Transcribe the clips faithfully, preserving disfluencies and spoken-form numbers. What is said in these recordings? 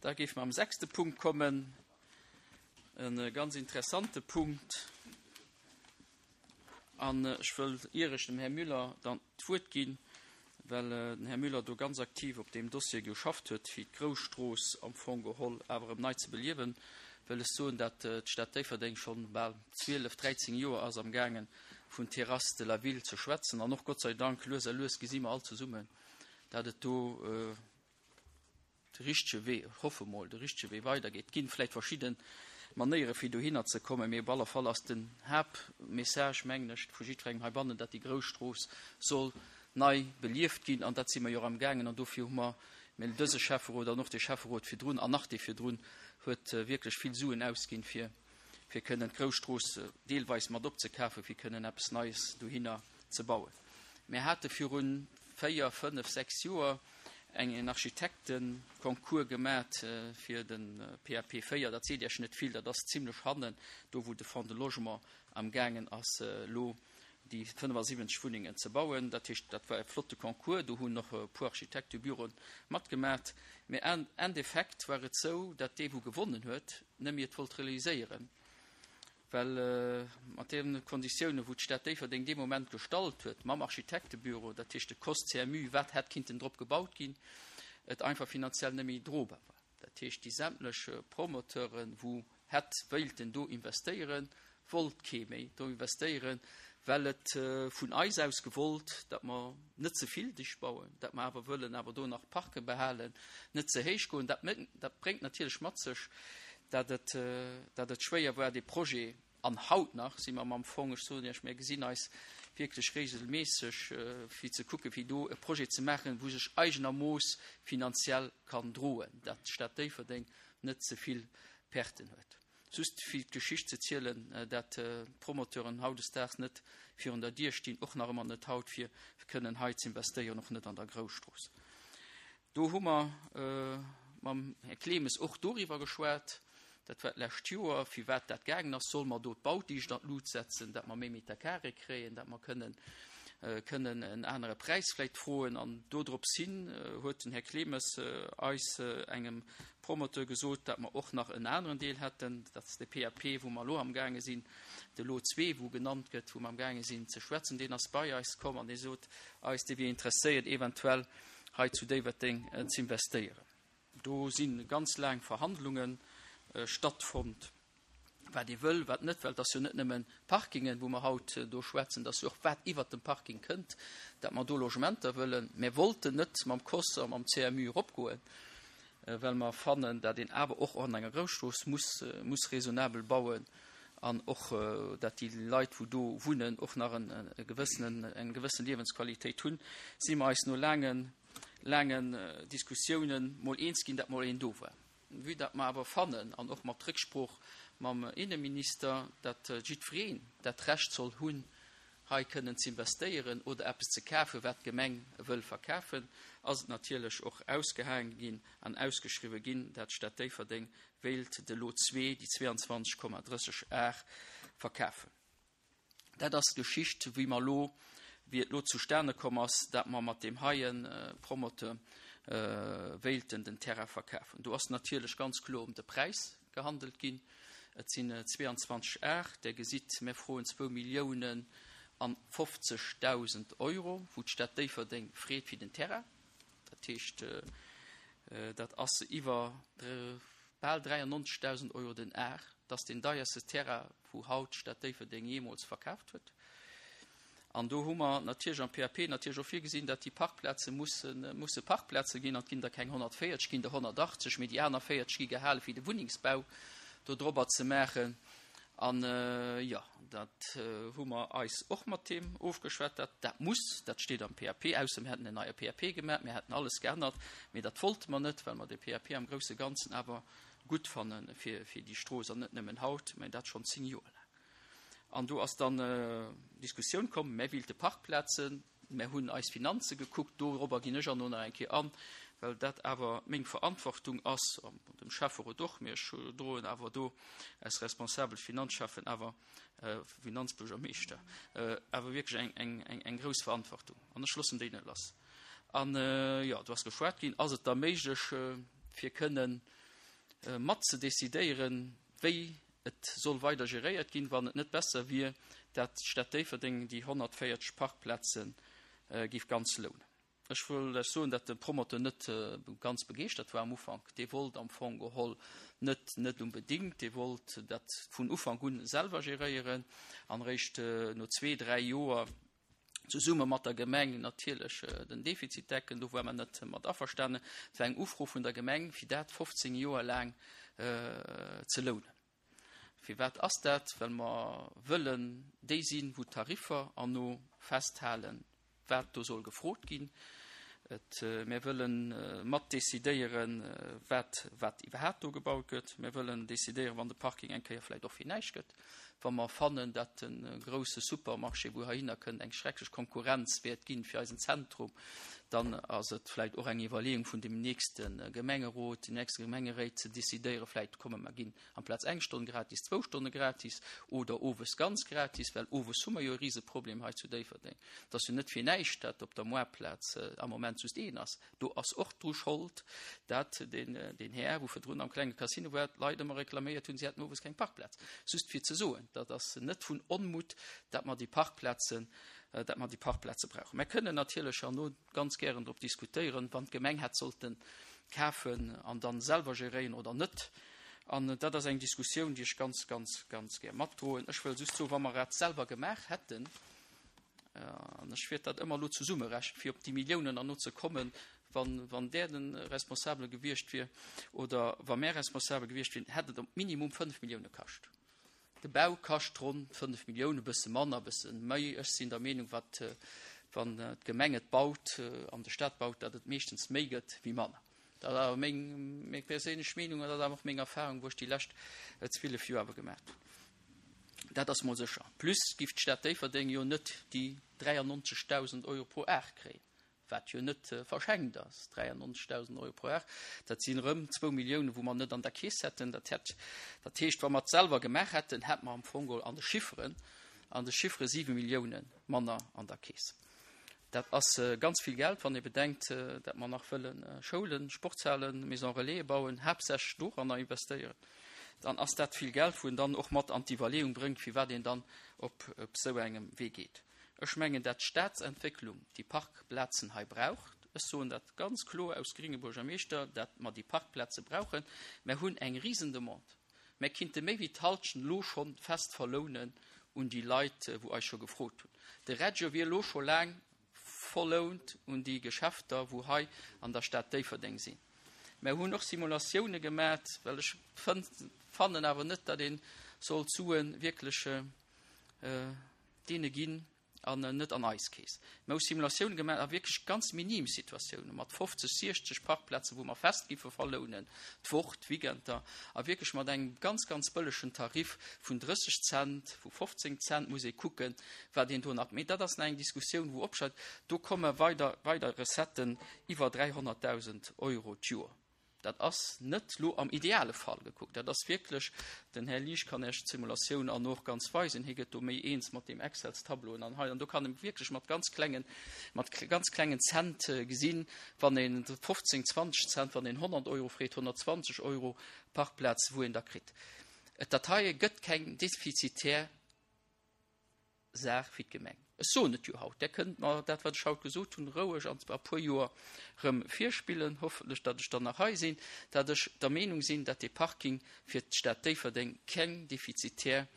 Da géife mer am sechste Punkt kommen, e ganz interessante Punkt. An ech wëll, ier ech dem Här Müller dann d'Wuert ginn, well den Här Müller do ganz aktiv op deem Dossier geschafft huet, fir d'Grousstrooss am Fong geholl awer erëm nei ze beliewen, wëll ech soen, dat d'Stad Déifferdeng schonn bal zwielef, dräizéng Joer ass am gaangen, vun Terrasse de la Ville ze schwätzen. An och Gott sei Dank, lues a lues gesi mer all zesummen, dat et do de richtege Wee, ech hoffe mol, de richtege Wee weidergeet. Et ginn vläicht verschidde Manéiere fir dohinner ze kommen, mee op alle Fall ass den Haaptmessage, mengen ech, vu jiddwerengem heibannen, dat déi Grousstrooss soll nei belieft ginn. An dat si mer jo och amgaangen. An dofir hu mer, mä dëse Schäfferot an och dee Schäfferot virdrun an nach dee virdrun huet wierklech vill Suen ausginn, fir fir kënnen d'Grousstrooss deelweis mat opzekafen, fir kënnen eppes Neies dohinner ze bauen. Mir hate viru véier, fënnef, sechs Joer eng en Architektenconcours gemat fir de P A P véier. Dat seet Iech net vill, dat ass zimlech hannen, do wou de Fonds de Logement amgaangen ass elo déi fënnefasiwwenzeg Wunnengen ze bauen. Dat heescht, dat war e flotte Concours, do hunn och e puer Architektebüroen matgemat. Mä am Endeffekt war et sou, datt dee wou gewonnen huet, net méi et wollt realiséieren, well mat deene Konditiounen, wou d'Stad Déifferdeng dee Moment gestallt huet mam Architektebüro, dat heescht de C O S C M U, wat hätt kinnten drop gebaut ginn, et einfach finanziell net méi drobar war. Dat heescht, déi sämtlech Promoteuren, wou hätt wéilten do investéieren, wollt kee méi do investéieren, well et vun eis aus gewollt, datt mer net ze vill dicht bauen, datt mer awer wëllen awer do nach Parke behalen, net ze héich goen. Dat, dat bréngt natierlech mat sech, datt et, datt et schwéier war, dee Projet, an haut nach si mer am Fong, ech soen Iech, mir gesinn eis wierklech regelméisseg, fir ze kucken, fir do e Projet ze maachen, wou sech eigenermooss finanziell kann droen, datt d'Stad Déifferdeng net ze vill Perten huet. Just fir d'Geschicht ze zielen, dat d'Promoteuren hautdesdaags net virun der Dier stinn, och nach ëmmer net haut, fir kënnen hei ze investéieren, och net an der Grousstrooss. Do hu mer mam Här Clemes och doriwwer geschwat, dat war d'lescht Joer, firwat dat gaangen ass, solle mer do d'Baudicht an d'Lut setzen, dat mer méi Meter carré kréien, dat mer kënnen kënnen en anere Präis vläicht froen. An dodrops hin huet den Här Clemes eis engem Promoteur gesot, dat mer och nach en aneren Deel hätten, dat ass de P A P, wou mer elo amgaange sinn, de Lot zwee, wou genannt gëtt, wou mer amgaange sinn ze schwätzen. Deen ass bei eis komm an dee sot eis, dee wier interesséiert, eventuell hei zu Déifferdeng ze investéieren. Do si ganz laang Verhandlunge stattfonnt, wat ee wëll, wat net, well et ass jo net nëmmen Parkingen, wou mer haut do schwätzen, et ass jo och wat iwwert dem Parking kënnt, dat mer do Logementer wëllen. Mir wollten net mam C O S a mam C M U eropgoen, well mer fannen, dat een awer och an enger Grousstrooss muss, muss raisonnabel bauen an och dat déi Leit, wou do wunnen, och nach en e gewëssenen, eng gewëssen Liewensqualitéit hunn, si mer eis no laangen, laangen Diskussiounen mol eens ginn, dat mol een do war. Vue dat mer awer fannen, an och mat Récksprooch mam Inneminister, dat jiddwereen dat Recht soll hunn, hei kënnen ze investéieren oder eppes ze kafen, wat d'Gemeng wëll verkafen, ass et natierlech och ausgehaange ginn an ausgeschriwwe ginn, dat d'Stad Déifferdeng wéilt de Lot zwee, déi zwee an zwanzeg Komma drësseg Ar, verkafen. Dat ass d'Geschicht, wéi mer elo, wéi et elo zustane komm ass, dat mer mat deem heie Promoteur wéilten den Terrain verkafen. Do ass natierlech ganz kloer ëm de Präis gehandelt ginn. Et sinn zwee an zwanzeg Ar. Der gesitt, mir froen zwou Milliounen an fofzegdausend Euro, wou d'Stad Déifferdeng freet fir den Terrain. Dat heescht, dat ass iwwer bal dräiannonzegdausend Euro den Ar. Dat ass deen deierste Terrain, wou haut d'Stad Déifferdeng jeemools verkaaft huet. An do hu mer natierlech am P A P natierlech och virgesinn, datt déi Parkplaze mussen, musse Parkplaze ginn. An et ginn der keng honnertvéierzeg, ginn der honnertachtzeg, mee déi aner véierzeg gi gehale fir de Wunnengsbau do drobber ze maachen. An jo, dat hu mer eis och mat deem ofgeschwat, dat dat muss, dat steet am P A P, ausser mir hätten en neie P A P gemaach, mir hätten alles geännert, mee dat wollte mer net, well mer de P A P am grousse Ganzen awer gutt fanne fir, fir déi Strooss an net nëmmen haut, mä dat schonn zéng Joer laang. An do ass dann Diskussioun komm, mir wéilte Parkplazen, mir hunn eis Finanze gekuckt, dorobber ginn ech an nach eng Kéier an, well dat awer meng Verantwortung ass, an dem Schäfferot och, mee ech droen awer do als responsabel Finanzschäffen awer, Finanzbuergermeeschter, awer wierklech eng, eng, eng, eng grouss Verantwortung an ech loossen déi net lass. An jo, do ass geschwat ginn, ass et da méiglech fir kënnen mat ze decidéieren, wéi et soll weider geréiert ginn, wann et net besser wier, dat d'Stad Déifferdeng déi honnertvéierzeg Parkplaze géif ganz lounen. Ech wëll lech soen, dat de Promoteur net ganz begeeschtert war am Ufank. Dee wollt am Fong geholl net, net unbedéngt, dee wollt dat vun Ufank un selwer geréieren an eréischt no zwee, dräi Joer zesumme mat der Gemeng natierlech den Defizit decken. Do war mer net mat averstanen. Et war eng Ufro vun der Gemeng, fir dat fofzéng Joer laang ze lounen. Firwat ass dat? Well mer wëllen déi sinn, wou d'Tariffer herno festhalen, wat do soll gefrot ginn. Et, mir wëlle mat decidéieren, wat, wat iwwerhaapt do gebaut gëtt. Mir wëllen decidéieren, wann de Parking eng Kéier vläicht och fir näischt gëtt, wa mer fannen, dat de grouse Supermarché, wou heihinner kënnt, eng schrecklech Konkurrenz wäert ginn fir eisen Zentrum, dann ass et vläicht och eng Iwwerleeung vun dem nächste Gemengerot, den nächste Gemengeréit ze decidéieren, vläicht komme mer ginn amplaz eng Stonn gratis, zwou Stonne gratis oder owes ganz gratis, well owes hu mer jo e Riseproblem hei zu Déifferdeng. Et ass jo net fir näischt, dat op der Moartplaz am Moment just een ass. Do ass och dru Schold, dat deen, deen Här, wou virdrun am klenge Casino war, d'Leit ëmmer reklaméiert hunn, si hätten owes keng Parkplaz. Just fir ze soen, dat ass net vun Onmut, dat mer déi Parkplazen, dat mer déi Parkplaze brauchen. Mer kënnen natierlech herno ganz gären drop diskutéieren, wann d'Gemeng hätt sollten kafen an dann selwer geréieren oder net. An dat ass eng Diskussioun, déi ech ganz, ganz, ganz gär matdroen. Ech wëll just soen, wa mer dat selwer gemaach hätten, an ech wäert dat ëmmer elo zesummerechnen, fir op déi Milliounen herno ze kommen, wann, wann där de Responsabele gewiescht wier oder wa mär Responsabel gewiescht wieren, hätt et op minimum fënnf Millioune kascht. De Bau kascht ronn fënnf Millioune, e bësse manner, e bësse méi. Ech sinn der Meenung, wat, wann d'Gemeng et baut an de Stat baut, datt et meeschtens méi gëtt wéi manner. Dat ass awer meng, meng perséinlech Meenung an dat ass awer och meng Erfahrung, wou ech déi lescht zwielef Joer awer gemaach hunn. Dat ass mol sécher. Plus giff d'Stad Déifferdeng jo net déi dräiannonzegdausend Euro pro Ar kréien, wat jo net verschenkt ass. dräiannonzegdausend Euro pro Ar, dat sinn erëm zwou Milliounen, wou mer net an der Keess hätten. Dat hätt, dat heescht, wa mer et selwer gemaach hätten, hätt mer am Fong geholl an de Chifferen, an de Chiffere siwe Milliounen manner an der Keess. Dat ass ganz vill Geld, wann ee bedenkt, dat mer nach wëlle Schoulen, Sportshalen, Maisons Relaisen bauen, haaptsächlech doranner investéieren. Dann ass dat vill Geld, wou een dann och mat an d'Iwwerleeung bréngt, firwat een dann op esou engem Wee geet. Ech mengen, dat d'Staatsentwécklung déi Parkplazen hei brauch. Ech soen dat ganz kloer aus gringe Buergermeeschter, dat mer déi Parkplaze brauchen. Mer hunn eng Risendemande. Mer kinnte méi wéi d'Halschent elo scho fest verlounen un déi Leit, wou eis scho gefrot hunn. De Reggio wier elo scho laang verlount un déi Geschäfter, wou hei an der Stad Déifferdeng sinn. Mer hunn och Simulatioune gemat, well ech fannen awer net, datt ee soll d'Sue wierklech deene ginn an net an eis Keess. Mer hu Simulatioune gemaach a wierklech ganz minim Situatioune mat fofzeg, siechzeg Parkplazen, wou mer fest giffe verlounen, d'Woch, d'Weekender, a wierklech mat engem ganz, ganz bëllegen Tarif vun drësseg Cent, vu fofzéng Cent, muss ee kucken, wat een do nach. Mee dat ass nach eng Diskussioun, wou opscheit. Do komme weider, weider Recetten iwwer dräihonnertdausend Euro d'Joer. Dat ass net lo am ideale Fall gekuckt. Dat ass wierklech, den Här Liesch kann Iech d'Simulatioun an och ganz weisen, hie gëtt do méi eens mat deem Excels-Tableauen an hei an do kann e wierklech mat ganz klengen, mat ganz klengen Cent gesinn, wann een fofzéng, zwanzeg Cent, wann een honnert Euro freet, honnertzwanzeg Euro Parkplaz, wou een da kritt. Et dat heie gëtt keng defizitär Saach fir d'Gemeng. Ech soen et jo haut, Där kënnt mer dat, wat ech haut gesot hunn, roueg an e puer Joer erëm virspillen, hoffentlech, datt ech dann nach hei sinn, datt ech der Meenung sinn, datt dee Parking fir d'Stad Déifferdeng keng defizitär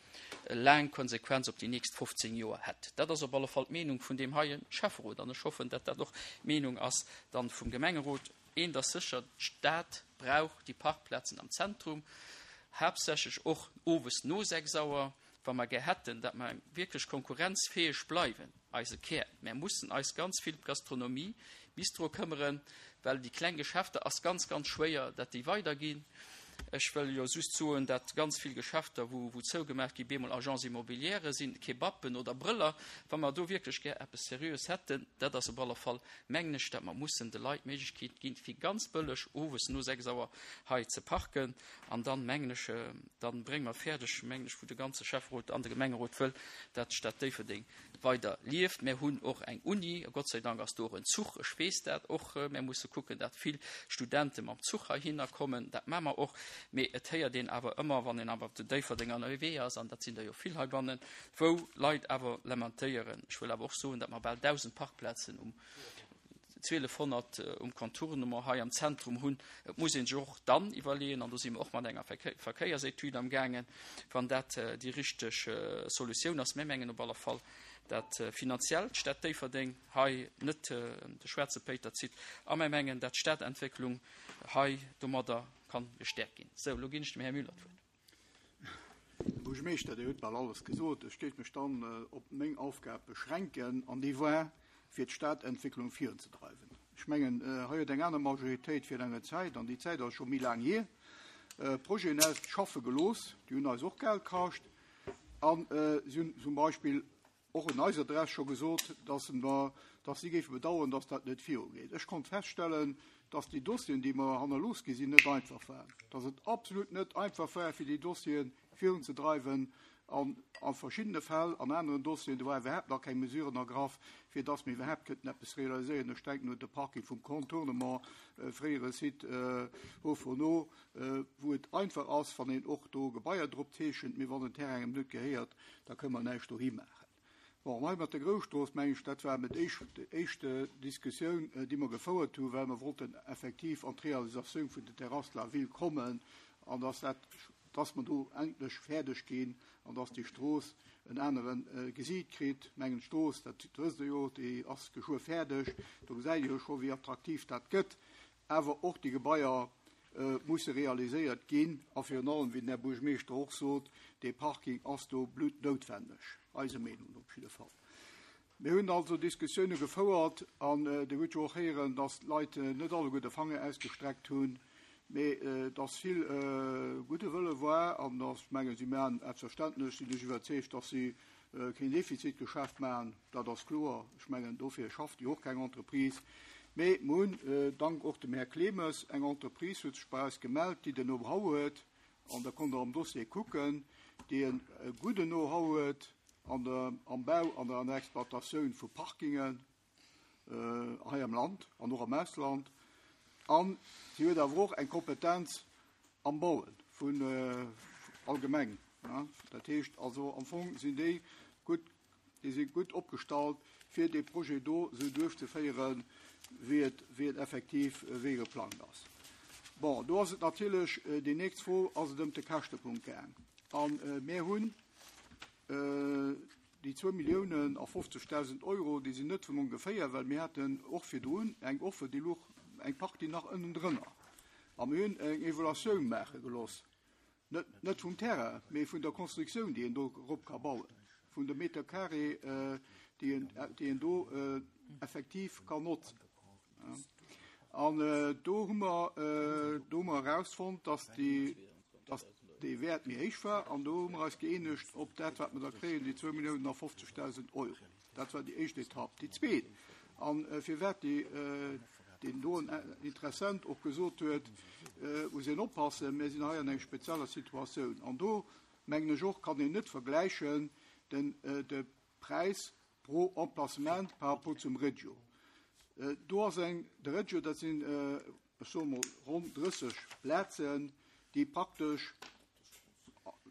laang Konsequenz op déi nächst fofzéng Joer hätt. Dat ass op alle Fall d'Meenung vun deem heie Schäfferot an ech hoffen, datt dat och d'Meenung ass dann vum Gemengerot. Eent ass sécher, D'Stad brauch déi Parkplazen am Zentrum, haaptsächlech och owes no sechs Auer. Wa mer gär hätten, datt mer wierklech konkurrenzfäeg bleiwen, eise Kär, mer mussen eis ganz vill d'Gastronomie, Bistro këmmeren, well déi kleng Geschäfter ass ganz, ganz schwéier, datt déi weiderginn. Ech wëll jo just soen, datt ganz vill Geschäfter, wou, wou zougemaach gi bemol Agence immobilière sinn, Kebappen oder Brëller. Wa mer do wierklech gär eppes Seriöes hätten, dat ass op alle Fall, mengen ech, datt mer mussen de Leit d'Méiglechkeet ginn, fir ganz bëlleg owes no sechs Auer hei ze parken. An dann, mengen ech, dann brénge mer fäerdeg, mengen ech, wou de ganze Schäfferot an de Gemengerot wëll, dat d'Stad Déifferdeng weider lieft. Mir hunn och eng Uni, a Gott sei Dank ass do och en Zuch, ech weess dat och. Mir musse kucken, dat vill Studente mam Zuch heihinner kommen, dat maache mer och. Mee et héiert een awer ëmmer, wann een awer op den Déifferdenger ënnerwee ass, an dat sinn der jo vill heibannen, wou Leit awer lamentéieren. Ech wëll awer och soen, datt mer bal dausend Parkplazen um zwielefhonnert um Contournement hei am Zentrum hunn. Et muss een sech och dann iwwerleeën, an do si mer och mat enger Verkéiersetüd am gaangen, wann dat déi richteg Solutioun ass. Mir mengen op alle Fall, dat finanziell d'Stad Déifferdeng hei net de schwaarze Péiter zitt a mir mengen, dat d'Stadentwécklung hei domadder ka gestäerkt ginn. Sou, elo ginn ech dem Här Müller d'Wuert. Här Buergermeeschter, Dir hutt bal alles gesot. Ech géif mech dann op meng Aufgab beschränken, an déi war, fir d'Stadentwécklung virunzedreiwen. Ech mengen, hei huet eng aner Majoritéit fir enge Zäit, an déi Zäit ass scho méi laang hier, Projeten ausschaffe gelooss, déi hunn eis och Geld kascht, a si hunn zum Beispill och un eiser Adress scho gesot, dass mer, dass si géife bedauern, dass dat net virugeet. Ech konnt feststellen, dass déi Dossieren, déi mer hannerlooss gi sinn, net einfach waren, dass et absolut net einfach war, fir déi Dossieren virunzedreiwen an a verschiddene Fäll, an aneren Dossieren, do war iwwerhaapt nach keng Mesuren ergraff, fir dass mir iwwerhaapt kënnten eppes realiséieren. Ech denken un de Parking vum Contournement, fréiere Site Haut Fourneau, wou et einfach ass, wann een och do Gebaier drop zeechent, mee wann den Terrain engem net gehéiert, da kënne mer näischt dohi maachen. Bon, hei mat der Grousstrooss, meng ech, dat war mit déi éischt Diskussioun, déi mer gefouert hunn, well mer wollten effektiv an d'Realisatioun vun der Terrasse de la Ville kommen an dass dat, dass mer do endlech fäerdeg ginn an dass déi Strooss en anere Gesiit kritt. Mengen d'Strooss, dat wësst Der jo, déi ass geschwë fäerdeg, do gesäit Dir jo scho wéi attraktiv dat gëtt. Awer och déi Gebaier musse realiséiert ginn a virun allem, wéi den Här Buergermeeschter och sot, dee Parking ass do bluttnoutwenneg, eiser Meenung no op jidde Fall. Mir hunn also Diskussioune gefouert an Dir hutt jo och héieren, dass d'Leit net alleguer de Fanger ausgestreckt hunn, mee dass vill gudde Wëlle war an dass, ech mengen, si maachen, selbstverständlech sinn ech iwwerzeegt, dass si keen Defizitgeschäft maachen, dat ass kloer. Ech mengen, dofir schafft jo och keng Entreprise. Mee mir hunn, dank och dem Här Clemes, eng Entreprise huet sech bei eis gemellt, déi den Know-how huet, an da konnt Der am Dossier kucken, déi e gudden Know-how huet an der, am Bau an der Exploitatioun vu Parkingen hei am Land an och am Ausland. An si huet awer och eng Kompetenz am Bauen vun allgemeng. Dat heescht also, am Fong sinn déi gutt, déi si gutt opgestallt, fir dee Projet do esou duerchzeféieren, wéi et, wéi et effektiv wéi geplangt ass. Bon, do ass et natierlech déi nächst Fro, ass et ëm de Käschtepunkt gaang. An mir hunn déi zwou Milliounen a fofzegdausend Euro, déi sinn net vun ongeféier, well mir haten och virdrun eng Offer, déi louch eng Partie nach ënnendrënner. A mir hunn eng Evaluatioun maache gelooss, net, net vum Terrain, mee vun der Constructioun, déi een do erop ka bauen, vun de Meter carré, déi een, déi een do effektiv kann notzen. An do hu mer, do hu mer erausfonnt, dass déi, dass dee Wäert méi héich war, an do hu mer eis gëeenegt op dat, wat mer da kréien, déi zwou Milliounen a fofzegdausend Euro. Dat war déi éischt Etapp. Déi zweet, an firwat déi, deen doen Interessent och gesot huet, muss een oppassen, mir sinn hei an enger spezieller Situatioun. An do, mengen ech och, kann een net vergläichen den, de Präis pro Emplacement par rapport zum Regio. Do ass eng, de Regio, dat sinn, ech soe mol, ronn drësseg Plazen, déi praktesch,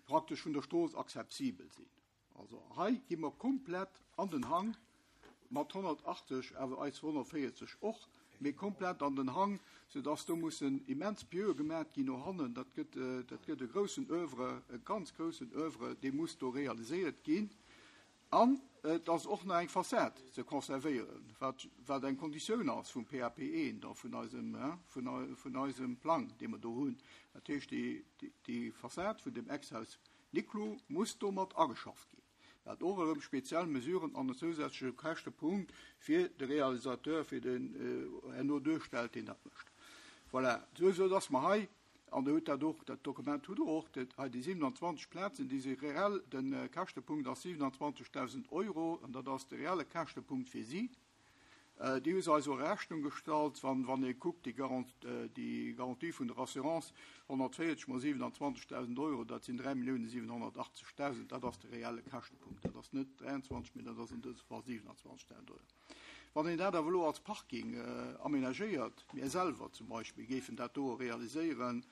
praktesch vun der Strooss accessibel sinn. Also hei gi mer komplett an den Hang, mat honnertachtzeg, awer eis honnertvéierzeg och, mee komplett an den Hang, soudass do mussen immens Pieuxe gemaat ginn no hannen. Dat gëtt, dat gëtt e groussen Oeuvre, e ganz groussen Oeuvre, dee muss do realiséiert ginn. An et ass och nach eng Fassad ze conservéieren, wat, wat eng Konditioun ass vum P A P eent a vun eisem, vun, vun eisem Plang, dee mer do hunn. Dat heescht, déi, déi, déi Fassad vun dem Ex-Haus Niclou muss domat ageschafft ginn. Dat och erëm speziell Mesuren an en zousätzleche Käschtepunkt fir de Realisateur, fir den herno duerstellt, deen dat mécht. Voilà, sou, sou dass mer hei, an der hutt dat och, dat Dokument hutt Der och, dat hei déi siewenanzwanzeg Plazen, déi si reell, de Käschtepunkt ass siewenanzwanzegdausend Euro, an dat ass de reelle Käschtepunkt fir si. Déi hu se eis och a Rechnung gestallt, wann, wann ee kuckt, déi Garant, déi Garantie vun der Assurance, honnertvéierzeg mol siewenanzwanzegdausend Euro, dat sinn dräi Milliounen siwenhonnertachtzegdausend, dat ass de reelle Käschtepunkt. Dat ass net dräianzwanzeg, mee dat ass an dësem Fall siewenanzwanzegdausend Euro. Wann een dat awer elo als Parking aménagéiert, mir selwer zum Beispill géifen dat do realiséieren,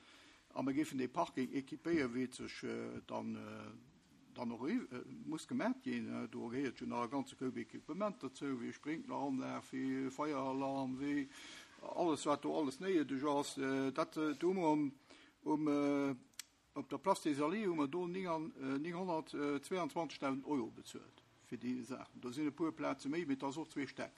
A mir géifen de Parking équipéieren, wéi et sech dann, dann och muss gemaach ginn. Do gehéiert jo nach e ganze Koup Equipement dozou, wéi Sprinkleranlag, wéi Feieralarm, wéi alles, wat do alles néideg ass. Dat do hu mer um, um, op der Place des Alliés hu mer do nénghonnertzweianzwanzegdausend Euro bezuelt fir déi Saachen. Do sinn e puer Plaze méi, mee et ass och zwee Stäck.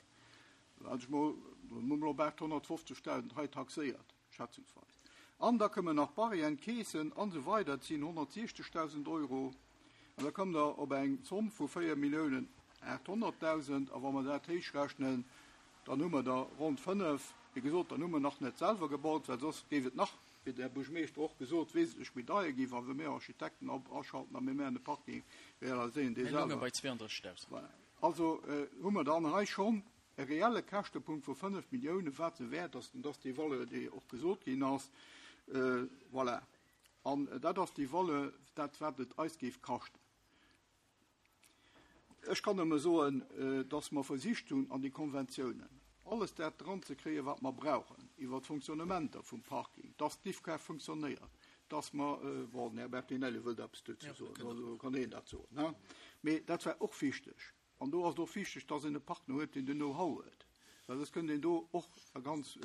Also ech mol, do hu mer op aathonnertfofzegdausend hei taxéiert, schätzungsweis. An da kommen nach Barrieren, Keesen an esou weider, dat sinn honnertsiechzegdausend Euro. An da kommt der op eng Zomm vu véier Milliounen aathonnertdausend. A wa mer dat héichrechnen, dann hu mer der ronn fënnef. Wéi gesot, dann hu mer nach net selwer gebaut, well soss géif et nach, wéi de Här Buergermeeschter och gesot, wesentlech méi deier ginn, wa mir Architekten aschalten a mir maachen de Parking, realiséieren dee Mir lounge selwer. bei zweeëndrëssigdausend. Voilà. Also hu mer dann hei schonn e reelle Käschtepunkt vu fënnef Milliounen, wat se wäert ass, an dass déi Valeur, déi och gesot ginn ass, voilà. An dat ass déi Valeur, dat wat et eis géif kaschten. Ech kann nëmme soen, dass mer versicht hunn, an déi Konventiounen alles dat dran ze kréien, wat mer brauchen, iwwer d'Fonctionnementer vum Parking, dass d'Diffkaart funktionéiert, dass mer, bon, den Här Bertinelli wëllt eppes dozou soen, also kann hien dat soen, ne? Mee dat war och wichteg. An do ass et och wichteg, dass een e Partner huet, deen den Know-how huet. Well soss kënnt een do och a ganz,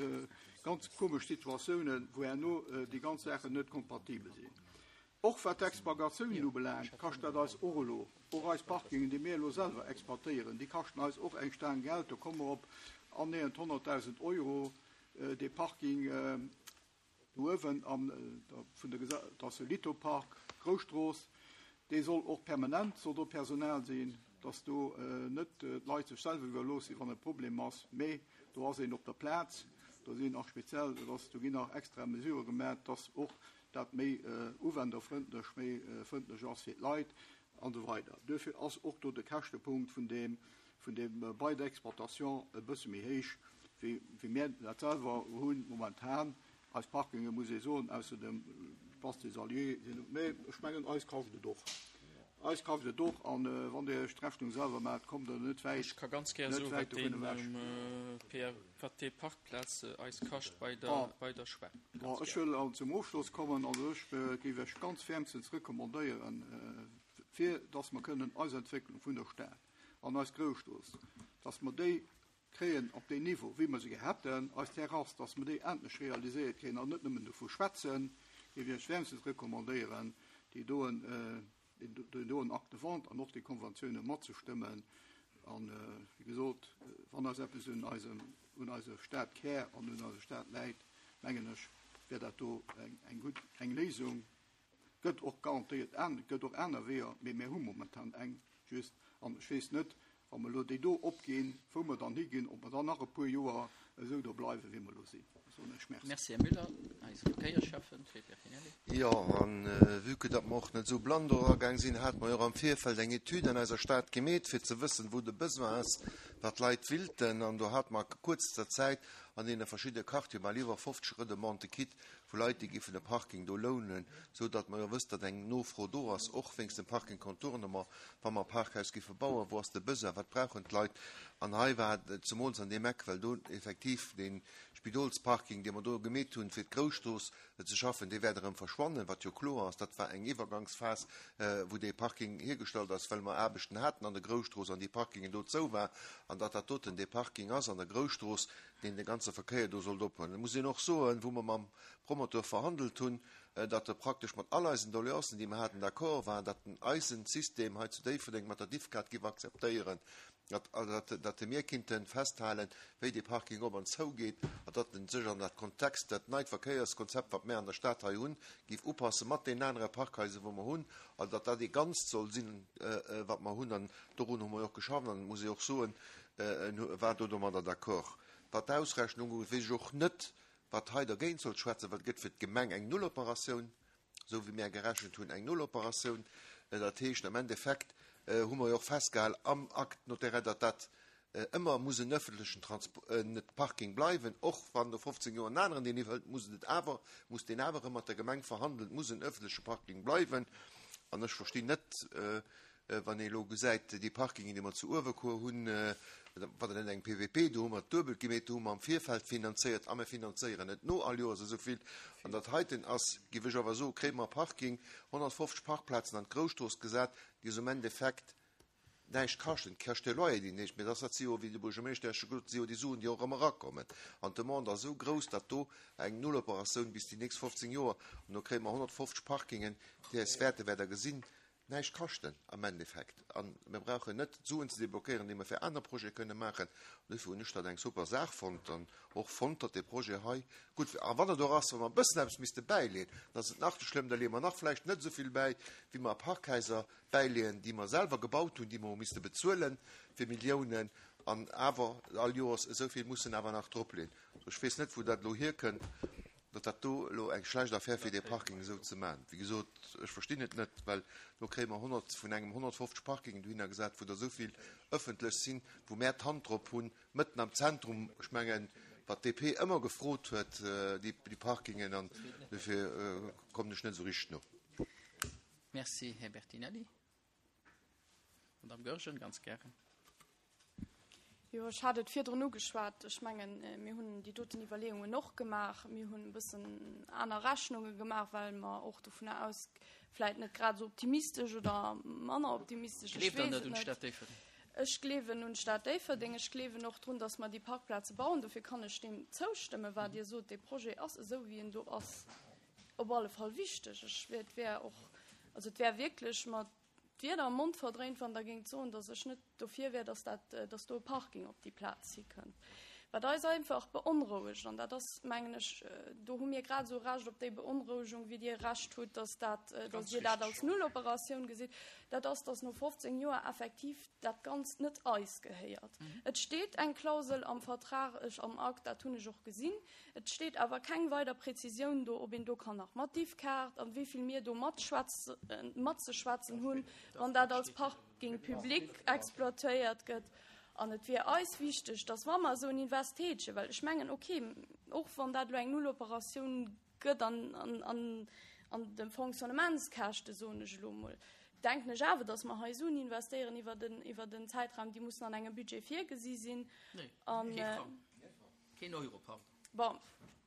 ganz komesch Situatiounen, wou herno déi ganz Saachen net kompatibel sinn. Och wat d'Exploitatiounen ubelaangt, kascht dat eis och elo, och eis Parkingen, déi mir elo selwer exploitéieren, déi kaschten eis och eng Staang Geld. Do komme mer op annähernd honnertdausend Euro, dee Parking do uewen an vun der Gesa-, dat ass de Litopark, Grousstrooss, dee soll och permanent, soll do Personal sinn, dass do net d'Leit sech selwer iwwerloossen, wann e Problem ass, mee do ass een op der Plaz, do sinn och speziell, do ass, do ginn nach extra Mesurë gemaach, dass och dat méi uwenderfrëndlech, méi frëndlech ass fir d'Leit an esou weider. Duerfir ass och do de Käschtepunkt vun deem, vun deem Bail d'exploitation e bësse méi héich, wéi, wéi mir dat selwer hunn momentan. Eis Parkinge, muss ee soen, ausser dem Place des Alliés sinn, mee ech mengen, eis kascht et och. Eis kascht et och, an wann Dir Iech d'Rechnung selwer maacht, kommt Der net wäit, Ech ka ganz gär net soen, wäit wat deen, dovun ewech. P R, wat déi Parkplaz eis kascht bei der, Ah. bei der Schwämm. Bon, Ganz ech gär. wëll an zum Ofschloss kommen, also ech géif Iech ganz wärmstens recommandéieren, fir dass mer kënnen eis Entwécklung vun der Stad an eis Grousstrooss, dass mer déi kréien op deen Niveau, wéi mer se gehat hätten, eis Terrasse, dass mer déi endlech realiséiert kréien an net nëmmen dovu schwätzen, géif Iech wärmstens recommandéieren, déi doen, déi doen Acte de vente an och déi Konventioune matzestëmmen. An, wéi gesot, wann eis eppes un eisem, un eiser Stad Kär an un eiser Stad läit, mengen ech, wär dat do eng, eng gutt, eng Léisung. Gëtt och garantéiert an, gëtt och aner Weeër, mee mir hu momentan eng just. An ech weess net, wa mer elo déi do opginn, wou mer dann higinn, ob mer dann nach e puer Joer esou do bleiwen, wéi mer elo sinn. Soen ech merci. Merci, Här Müller. Eise Verkéierscheffen, Fred Bertinelli. Jo, an vue que datt mer och net esou blann do eragaang sinn, hat mer jo och am Virfeld eng Etüd an eiser Stad gemeet, fir ze wëssen, wou de Besoin ass, wat d'Leit willten. An do hat mer a kuerzter Zäit an deene verschiddene Quartiere bal iwwer fofzeg Redemandë kritt, vu Leit, déi géifen de Parking do lounen, sou datt mer jo wësst, datt eng Nofro do ass, och wéinst dem Parking Contournement, wa mer Parkhaus géife bauen, wou ass de Besoin, wat brauchen d'Leit? An hei war et zemools an deem Eck, well do effektiv den Spidolsparking, dee mer do gemeet hunn, fir d'Grousstrooss ze schaffen, dee wäert erëm verschwannen, wat jo kloer ass. Dat war eng Iwwergangsphas, wou dee Parking hiergestallt ass, well mer Aarbechten haten an der Grousstrooss an déi Parkingen do zou war, an datt dat doten dee Parking ass an der Grousstrooss, deen de ganze Verkéier do sollt ophuelen. Da muss een och soen, wou mer mam Promoteur verhandelt hunn, datt e praktesch mat all eisen Doleancen, déi mer haten, d'accord war, datt den eisen System hei zu Déifferdeng mat der Diffkaart géif akzeptéieren, datt, datt, datt de mir kinnten festhalen, wéi de Parking op an zou geet, an datt en sech an dat Kontext, dat neit Verkéierskonzept, wat mir an der Stad hei hunn, géif upasse mat den anere Parkhaiser, wou mer hunn, an datt dat ee Ganzt soll sinn, wat mer hunn, an dorun hu mer och geschafft, an muss ich och soen, en war do domadder d'accord. Wat d'Ausrechnung ugeet, weess ech och net, wat hei dergéint soll schwätzen, well et gëtt fir d'Gemeng eng Nulloperatioun, sou wéi mir gerechent hunn, eng Nulloperatioun. Dat heescht, am Endeffekt hu mer jo och festgehalen am Acte notarié, datt dat ëmmer muss en öffentlichen Transpo-, net Parking bleiwen, och wann no fofzéng Joer en aneren deen iwwerhëlt, muss et awer, muss deen awer ëmmer mat der Gemeng verhandeln, muss en öffentliche Parking bleiwen. An ech verstinn net, Wann ee elo gesäit, déi Parkingen, déi mer zu Uewerkuer hunn, wat net eng P P P, do hu mer duebel gemeet, do hu mer am Virfeld finanzéiert a mer finanzéieren net no all Joers esou vill. An dat heiten ass, géif ech awer soen, kréie mer Parking, honnertfofzeg Parkplazen an d'Grousstrooss gesat, déi esou am Endeffekt näischt kaschten, kascht de Loyer déi näischt, mee dat si jo, wéi de Buergermeeschter scho gesot, si jo déi Suen, déi och ëmmer erakommen. An d'Demande ass esou grouss, datt do eng Nulloperatioun bis déi nächst fofzéng Joer, an do kréie mer honnertfofzeg Parkingen, déi eis wäerte, wäert Der gesinn, näischt kaschten am Endeffekt. An mir brauchen net Suen ze deblockéieren, déi mer fir aner Projete kënne maachen. An dofir hunn ech dat eng super Saach fonnt an och fonnt, datt dee Projet hei gutt wär. A wann et och ass, wa mer e bëssen eppes misste bäileeën, dann ass et nach esou schlëmm, da leeë mer nach vläicht net esou vill bäi, wéi mer Parkhaiser bäileeën, déi mer selwer gebaut hunn, déi mer hu misste bezuelen fir Milliounen an awer all Joers esou vill mussen awer nach dropleeën. Ech weess net, wou dat elo hierkënnt, datt dat do elo eng schlecht Affär fir dee Parking esou ze maachen. Wéi gesot, ech verstinn et net, well do kréie mer honnert vun engem honnertfofzeg Parkingen dohinner gesat, wou der esou vill ëffentlech sinn, wou mer d'Hand drop hunn, mëtten am Zentrum, ech mengen, wat D P ëmmer gefrot huet, déi, déi Parkingen, an dofir kommen ech net esou richteg no. Merci, Här Bertinelli. Madame Goergen, ganz gären. Jo, ech hat et virdrun ugeschwat. Ech mengen, mir hunn déi doten Iwwerleeungen och gemaach. Mir hunn e bëssen aner Rechnunge gemaach, well mer och dovun aus vläicht net grad esou optimistesch oder manner optimistesch. Gleeft Der net un d'Stad Déifferdeng? Ech gleewen un d'Stad Déifferdeng. Ech gleewen och drun, dass mer déi Parkplaze bauen. Dofir kann ech deem zoustëmmen, wat Dir sot. De Projet ass esou, wéi en do ass, op alle Fall wichteg. Ech wär, wär och, also et wär wierklech mer d'Wierder am Mond verdréint, wann Der géingt soen, dass ech net dofir wär, dass dat, dass do e Parking op déi Plaz hikënnt. Wat eis einfach beonrouegt, an dat ass, mengen ech, do hu mir grad esou Recht op déi Beonrouegung, wéi Dir Recht hutt, dass dat, dass Dir dat als Nulloperatioun gesitt, dat ass, dass no fofzéng Joer effektiv dat Ganzt net eis gehéiert. Et steet eng Klausel am Vertrag, ech am Akt, dat hunn ech och gesinn. Et steet awer keng weider Präzisioun do, ob een do kann nach mat Diffkaart an wéi vill mir do matzeschwätzen hunn, wann dat als Parking public exploitéiert gëtt. An et wier eis wichteg, dass wa mer esou en Invest tätegen, well ech mengen, okay, och wann dat elo eng Nulloperatioun gëtt an, an, an, an de Fonctionnementskäschte, soen ech elo mol, denken ech awer, dass mer hei Suen investéieren iwwer den, iwwer den Zäitraum, déi mussen an engem Budget virgesi sinn. Nee, An, kee äh, Frang. Keen Euro, pardon. Bon,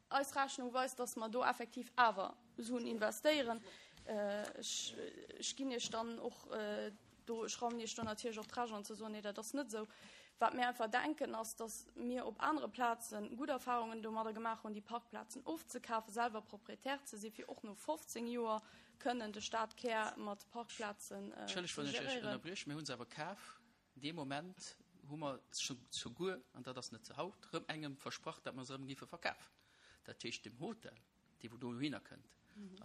eis Rechnung weist, dass mer do effektiv awer Suen investéieren. Äh, ech, ech ginn Iech dann och, äh, do, ech raumen Iech do natierlech och d'Recht an ze soen, nee, dat ass net esou. Wat mir einfach denken, ass, dass mir op anere Plazen gutt Erfahrungen domadder gemaach hunn, déi Parkplazen ofzekafen, selwer Proprietär ze sinn, fir och no fofzéng Joer kënnen de Stadkär mat Parkplazen äh, Entschëllegt, ze wann ech Iech geréieren. ënnerbrieche, mir hunn se awer kaf. Dee Moment hu mer souguer, an dat ass net ze haut, rëm engem versprach, dat mer se rëm géife verkafen. Dat heescht, dem Hotel, dee wou dohinner kënnt,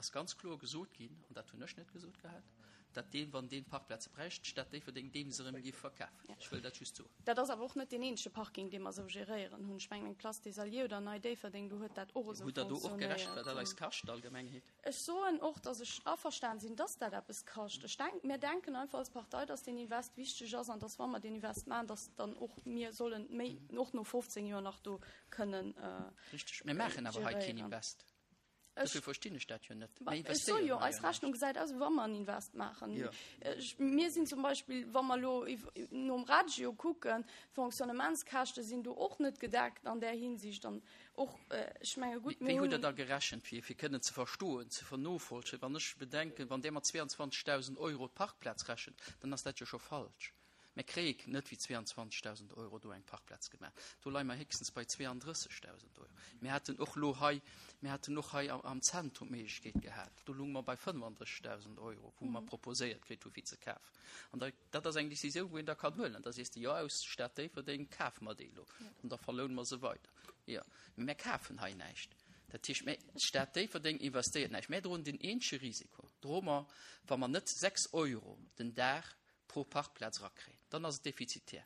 ass ganz kloer gesot ginn, an dat hunn ech net gesot gehat, dat deen, wann deen Parkplaze bräicht, d'Stad Déifferdeng deem se rëm géif verkafen. Ech wëll dat just soen. Dat ass awer och net deen eenzege Parking, dee mer esou geréieren hunn. Ech mengen, Place des Alliés oder Nei Déifferdeng, do huet dat och esou Hutt Der do och gerechent, wat dat funktionéiert. eis kascht, Allgemengheet? Ech soen och, dass ech averstan sinn, dass dat eppes kascht. Ech denk, mir denken einfach als Partei, dass den Invest wichteg ass an dass, wa mer den Invest maachen, dass dann och mir sollen méi och no fofzéng Joer nach do kënnen äh, Richteg. Mir maachen awer hei keen geréieren. Invest. Ech Dofir verstinn ech dat jo net. Ba, Mir ech soe investéieren jo, hei eis jo näischt. Rechnung gesäit aus, wa mer en Invest maachen. Ja. Ech, mir sinn zum Beispill, wa mer elo iw- nom Radio kucken, Fonctionnementskäschte sinn do och net gedeckt an der Hinsicht dann och, äh, ech menge gutt, Wéi mir hutt Der hunn da gerechent, fir, fir kënnen ze verstoen, ze vernovollzéien? Wann ech bedenken, wann der mat zweiundzwanzegdausend Euro d'Parkplaz rechent, dann ass dat jo scho falsch. Mir kréie net wéi zweiundzwanzegdausend Euro do eng Parkplaz gemaach. Do leie mer héchstens bei zweiunddrëssegdausend Euro. Mir haten och lo hei, mir haten och hei am, am Zentrum Méiglechkeet gehat. Do lounge mer bei fënnefandrëssegdausend Euro, wou mer proposéiert kritt hu fir ze kafen. An da, dat ass eng Decisioun, wou een da kann huelen. Da sees de, jo, aus Stad Déifferdeng kafe mer déi lo. An da verloune mer se weider. Ja. Mee mir kafen hei näischt. Dat heescht, mir- d'Stad Déifferdeng investéiert näischt. Mir droen den eenzege Risiko. Droe mer, wa mer net sechs Euro den Dag pro Parkplaz rakréien, dann ass et defizitär.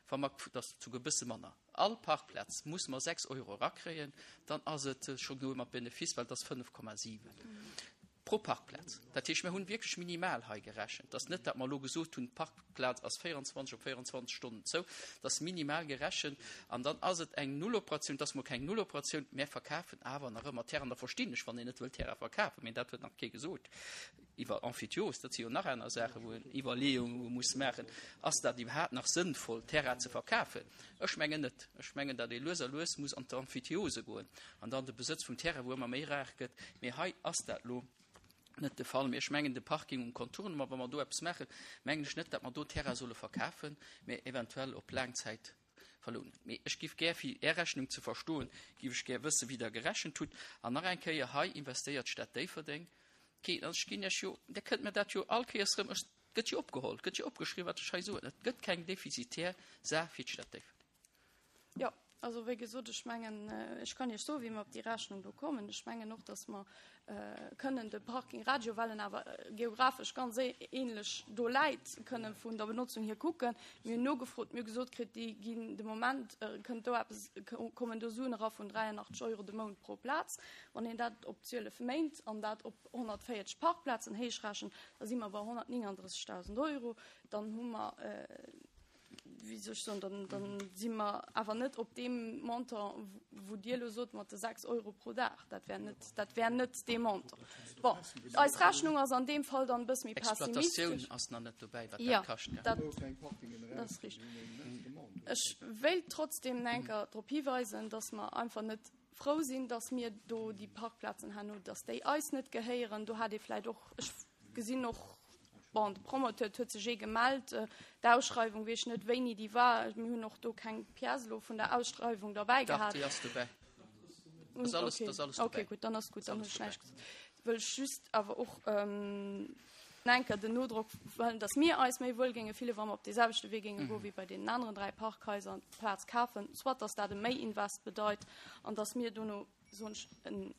Wa mer, dat ass souguer e bësse manner. All Parkplaz muss mer sechs Euro rakréien, dann ass et äh, schonn no mat Benefice, well dat ass fënnef Komma siwen. Pro Parkplaz. Dat heescht, mir hunn wierklech minimal hei gerechent. Et ass net, datt mer elo gesot hunn, d'Parkplaz ass véierundzwanzeg op véierundzwanzeg Stonnen zou. Dat ass minimal gerechent. An dann ass et eng Nulloperatioun. Et ass mol keng Nulloperatioun. Mir verkafen awer nach ëmmer Terrain. Da verstinn ech, wann een net wëll Terrain verkafen. Mee dat huet nach kee gesot. Iwwer Emphytiose, dat si jo nach aner Saachen, wou een Iwwerleeunge muss maachen. Ass dat iwwerhaapt nach sënnvoll, Terrain ze verkafen? Ech mengen net. Ech mengen, datt ee lues a lues muss an d'Emphytiose goen an dann de Besëtz vum Terrain, wou ëmmer méi rar gëtt. Mee hei ass dat elo net de Fall. Mee ech mengen, de Parking um Contournement, wa mer do eppes maachen, mengen ech net, datt mer do Terrain solle verkafen, mee eventuell op laang Zäit verlounen. Mee ech giff gär, fir Är Rechnung ze verstoen, giff ech gär wëssen, wéi Der gerechent hutt. An nach eng Kéier, hei investéiert d'Stad Déifferdeng keen. Also ech ginn Iech jo, Dir kënnt mir dat jo all Kéiers erëm, ech, et gëtt jo opgeholl, et gëtt jo opgeschriwwen, wat ech hei soen. Et gëtt keng defizitär Saach fir d'Stad Déifferdeng. Jo, also wéi gesot, ech mengen, ech kann Iech soen, wéi mer op déi Rechnung do kommen. Ech mengen och, dass mer kënnen de Parking Radio, well en awer geografesch ganz ähnlech do läit, kënnen vun der Benotzung hier kucken. Mir hunn nogefrot, mir hu gesot kritt, déi ginn de Moment, kënnt do eppes, kommen do Suen era vun dräianachtzeg Euro de Mount pro Plaz. Wann een dat op zwielef Méint an dat op honnertvéierzeg Parkplazen héichrechent, da si mer bei honnertnénganddrëssegdausend Euro. Dann hu mer, wéi soll ech soen, dann, dann si mer awer net op deem Montant, wou Dir elo sot mat de sechs Euro pro Dag. Dat wär net, dat wär net dee Montant. Bon, eis Rechnung ass an deem Fall dann e bësse méi Exploitatioun pessimistesch. ass nach net dobäi, wat Ja, dat kascht, ja. dat, dat ass richteg. Ech wéilt trotzdem eng Kéier drop hiweisen, dass mer einfach net frou sinn, dass mir do déi Parkplazen herno, dass déi eis net gehéieren. Do hat ee vläicht och, ech gesinn och, bon, de Promoteur huet sech ee gemellt, d'Ausschreiwung, weess ech net, wéini déi war. Mir hunn och do keng Pièce elo vun der Ausschreiwung derbäi Dach, gehat. déi ass dobäi. Dat ass alles, Okay. dat ass alles Okay, dobäi. gutt, dann ass gutt, dann hunn ech Alles näischt gesot. Wëll ech just awer och eng Kéier den Nodrock wëllen, dass mir eis méi wuel géinge fillen, wa mer op dee selwechte Wee géinge goen, wéi bei deenen aneren dräi Parkhaiser, d'Plaz kafen, soit dass dat e Méinvest bedeit an dass mir dono soen ech en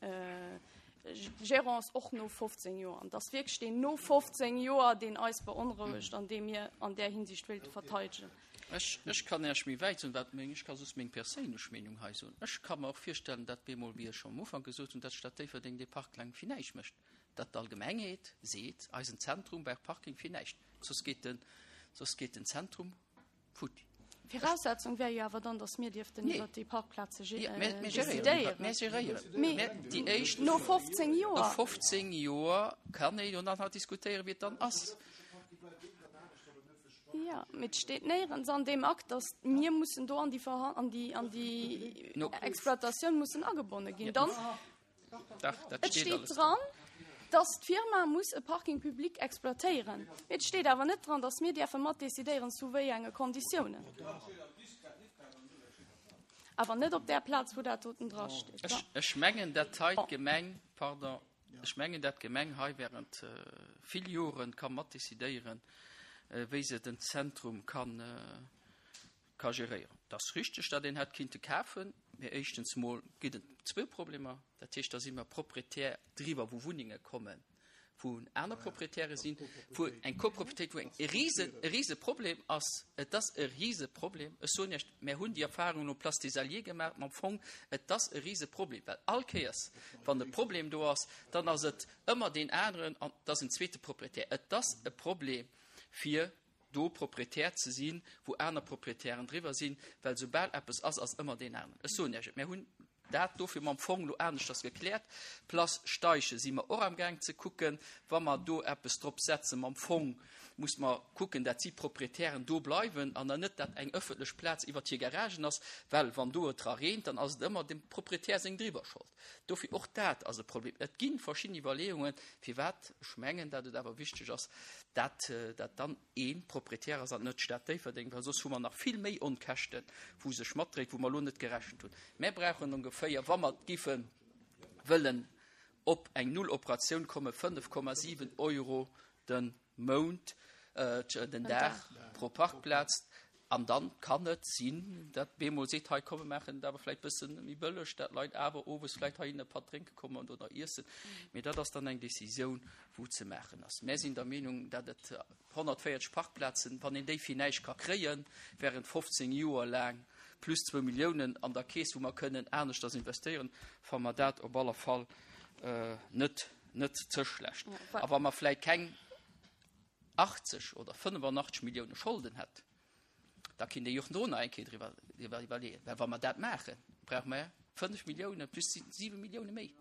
Gérance och no fofzéng Joer, an dass wierklech deen no fofzéng Joer, deen eis beonrouegt an dee mir an där Hinsicht wéilte verteidegen. Ech, ech kann Iech méi wäit soen, wat meng, ech ka soss meng perséinlech Meenung hei soen. Ech ka mer och virstellen, dat bemol, wéi ech scho am Ufank gesot hunn, dat d'Stad Déifferdeng dee Park laang fir näischt mécht, dat d'Allgemengheet seet, eisen Zentrum brauch Parking fir näischt, soss geet den, soss geet den Zentrum futti. Viraussetzung wär jo awer dann, dass mir dierften Nee. iwwer déi Parkplaze Ja, mir, mir decidéieren. geréieren. Mir geréieren. Mee Mir, déi éischt no fofzéng Joer. No fofzéng Joer kann ee jo dann nach diskutéieren, wéi et dann ass. Ja, mee et steet néierens an deem Akt, dass mir mussen do an déi Verha-, an déi, an déi No. Exploitatioun mussen agebonne ginn. Dann, Dach, dat et steet steet alles dran, dass d'Firma muss e Parking public exploitéieren. Mee et steet awer net dran, dass mir däerfe mat decidéieren, zu wéi enge Konditiounen. Awer net op där Plaz, wou dat doten dra steet. Ech, ech mengen, dat hei d'Gemeng, pardon, ech mengen, dat d'Gemeng hei während vill Joren ka mat decidéieren, wéi se den Zentrum kann, ka geréieren. Dat ass richteg, datt een hätt kinnte kafen, mee éischtens mol ginn et zwou Problemer. Dat heescht, da si mer Proprietär driwwer, wou Wunnenge kommen, wou aner Proprietäre sinn, wou eng Copropriétéit, wou eng e rise, e rise Problem ass. Et ass e rise Problem. Ech soen Iech, mir hunn déi Erfahrung no Place des Alliés gemaach, mam Fong, et ass e rise Problem, well all Kéiers, wann e Problem do ass, dann ass et ëmmer deen aneren an et ass en zweete Proprietär. Et ass e Problem, fir do Proprietär ze sinn, wou aner Proprietären driwwer sinn, well soubal eppes ass, ass ëmmer deen aneren. Ech soen Iech et, mir hunn dat dofir mam Fong lo aneschters gekläert. Place Steichen si mer och am Gaang ze kucken, wa mer do eppes drop setzen mam Fong, muss mer kucken, dat si Proprietären do bleiwen an dann net, dat eng ëffentlech Plaz iwwer hir Garagen ass, well wann do et dra reent, dann ass et ëmmer dem Proprietär seng driwwer Schold. Dofir och dat ass e Problem. Et ginn verschidden Iwwerleeungen, firwat ech mengen, dat et awer wichteg ass, dat, dat dann ee Proprietär ass an net d'Stad Déifferdeng, well soss hu mer nach vill méi Onkäschten, wou sech matdréit, wou mer lo net gerechent hunn. Mir brauchen ongeféier, wa mer giffen wëllen op eng Nulloperatioun komme, fënnef Komma siwen Euro den Mount, äh, den Dag pro Parkplaz. An dann kann et sinn, dat bemol seet, hei komm, mir maachen et awer vläicht bëssen méi bëlleg, dat Leit awer owes vläicht hei e Patt drénke kommen oder iessen. Mee dat ass dann eng Decisioun, wou ze maachen ass. Mir sinn der Meenung, dat et honnertvéierzeg Parkplazen, wann een déi fir näischt ka kréien, während fofzéng Joer laang, plus zwou Milliounen an der Keess, wou mer kënnen aneschters investéieren, fanne mer dat op alle Fall, äh, net net ze schlecht. A wa mer vläicht keng achtzeg oder fënnefanachteg Millioune Scholden hätt, da kinnt ee jo och do nach eng Kéier driwwer, driwwer iwwerleeën. Well wa mer dat maachen, brauche mer fënnef Millioune plus siwe Millioune méi.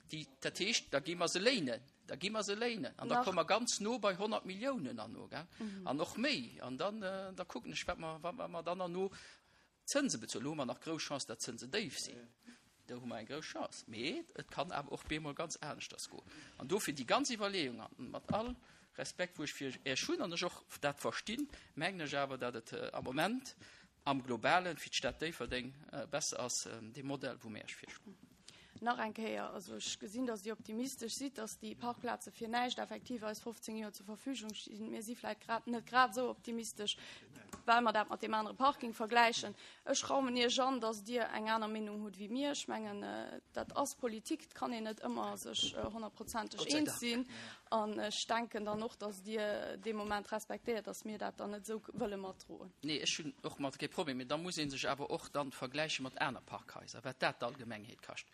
Déi, dat heescht, da gi mer se léinen, da gi mer se léinen. An da komme mer ganz no bei honnert Milliounen herno, gell? An och méi. An dann, da kucken ech, wat mer, wat mer dann herno Zënse bezuelen. Elo hu mer nach grouss Chance, datt d'Zënse déif sinn. Do hu mer eng grouss Chance. Mee et kann awer och bemol ganz aneschters goen. An dofir déi ganz Iwwerleeung, an mat all Respekt, wou ech fir Iech hunn an ech och dat verstinn, mengen ech awer, datt et am Moment am Globalen fir d'Stad Déifferdeng besser ass, dee Modell, wou mir Iech virschloen. Nach eng Kéier, also ech gesinn, datt Dir optimistesch sidd, datt déi Parkplaze fir näischt effektiv eis fofzéng Joer zur Verfügung stinn. Mir si vläicht grad net grad esou optimistesch, well mer dat mat deem anere Parking vergläichen. Ech raumen Iech an, datt Dir eng aner Meenung hutt wéi mir. Ech mengen, dat ass Politik, et kann een net ëmmer sech honnertprozenteg eens sinn. An ech denken dann och, datt Dir dee Moment respektéiert, datt mir dat dann net esou wëlle matdroen. Nee, ech hunn och mat kee Problem, mee da muss ee sech awer och dann vergläiche mat aner Parkhaiser, wat dat d'Allgemengheet kascht.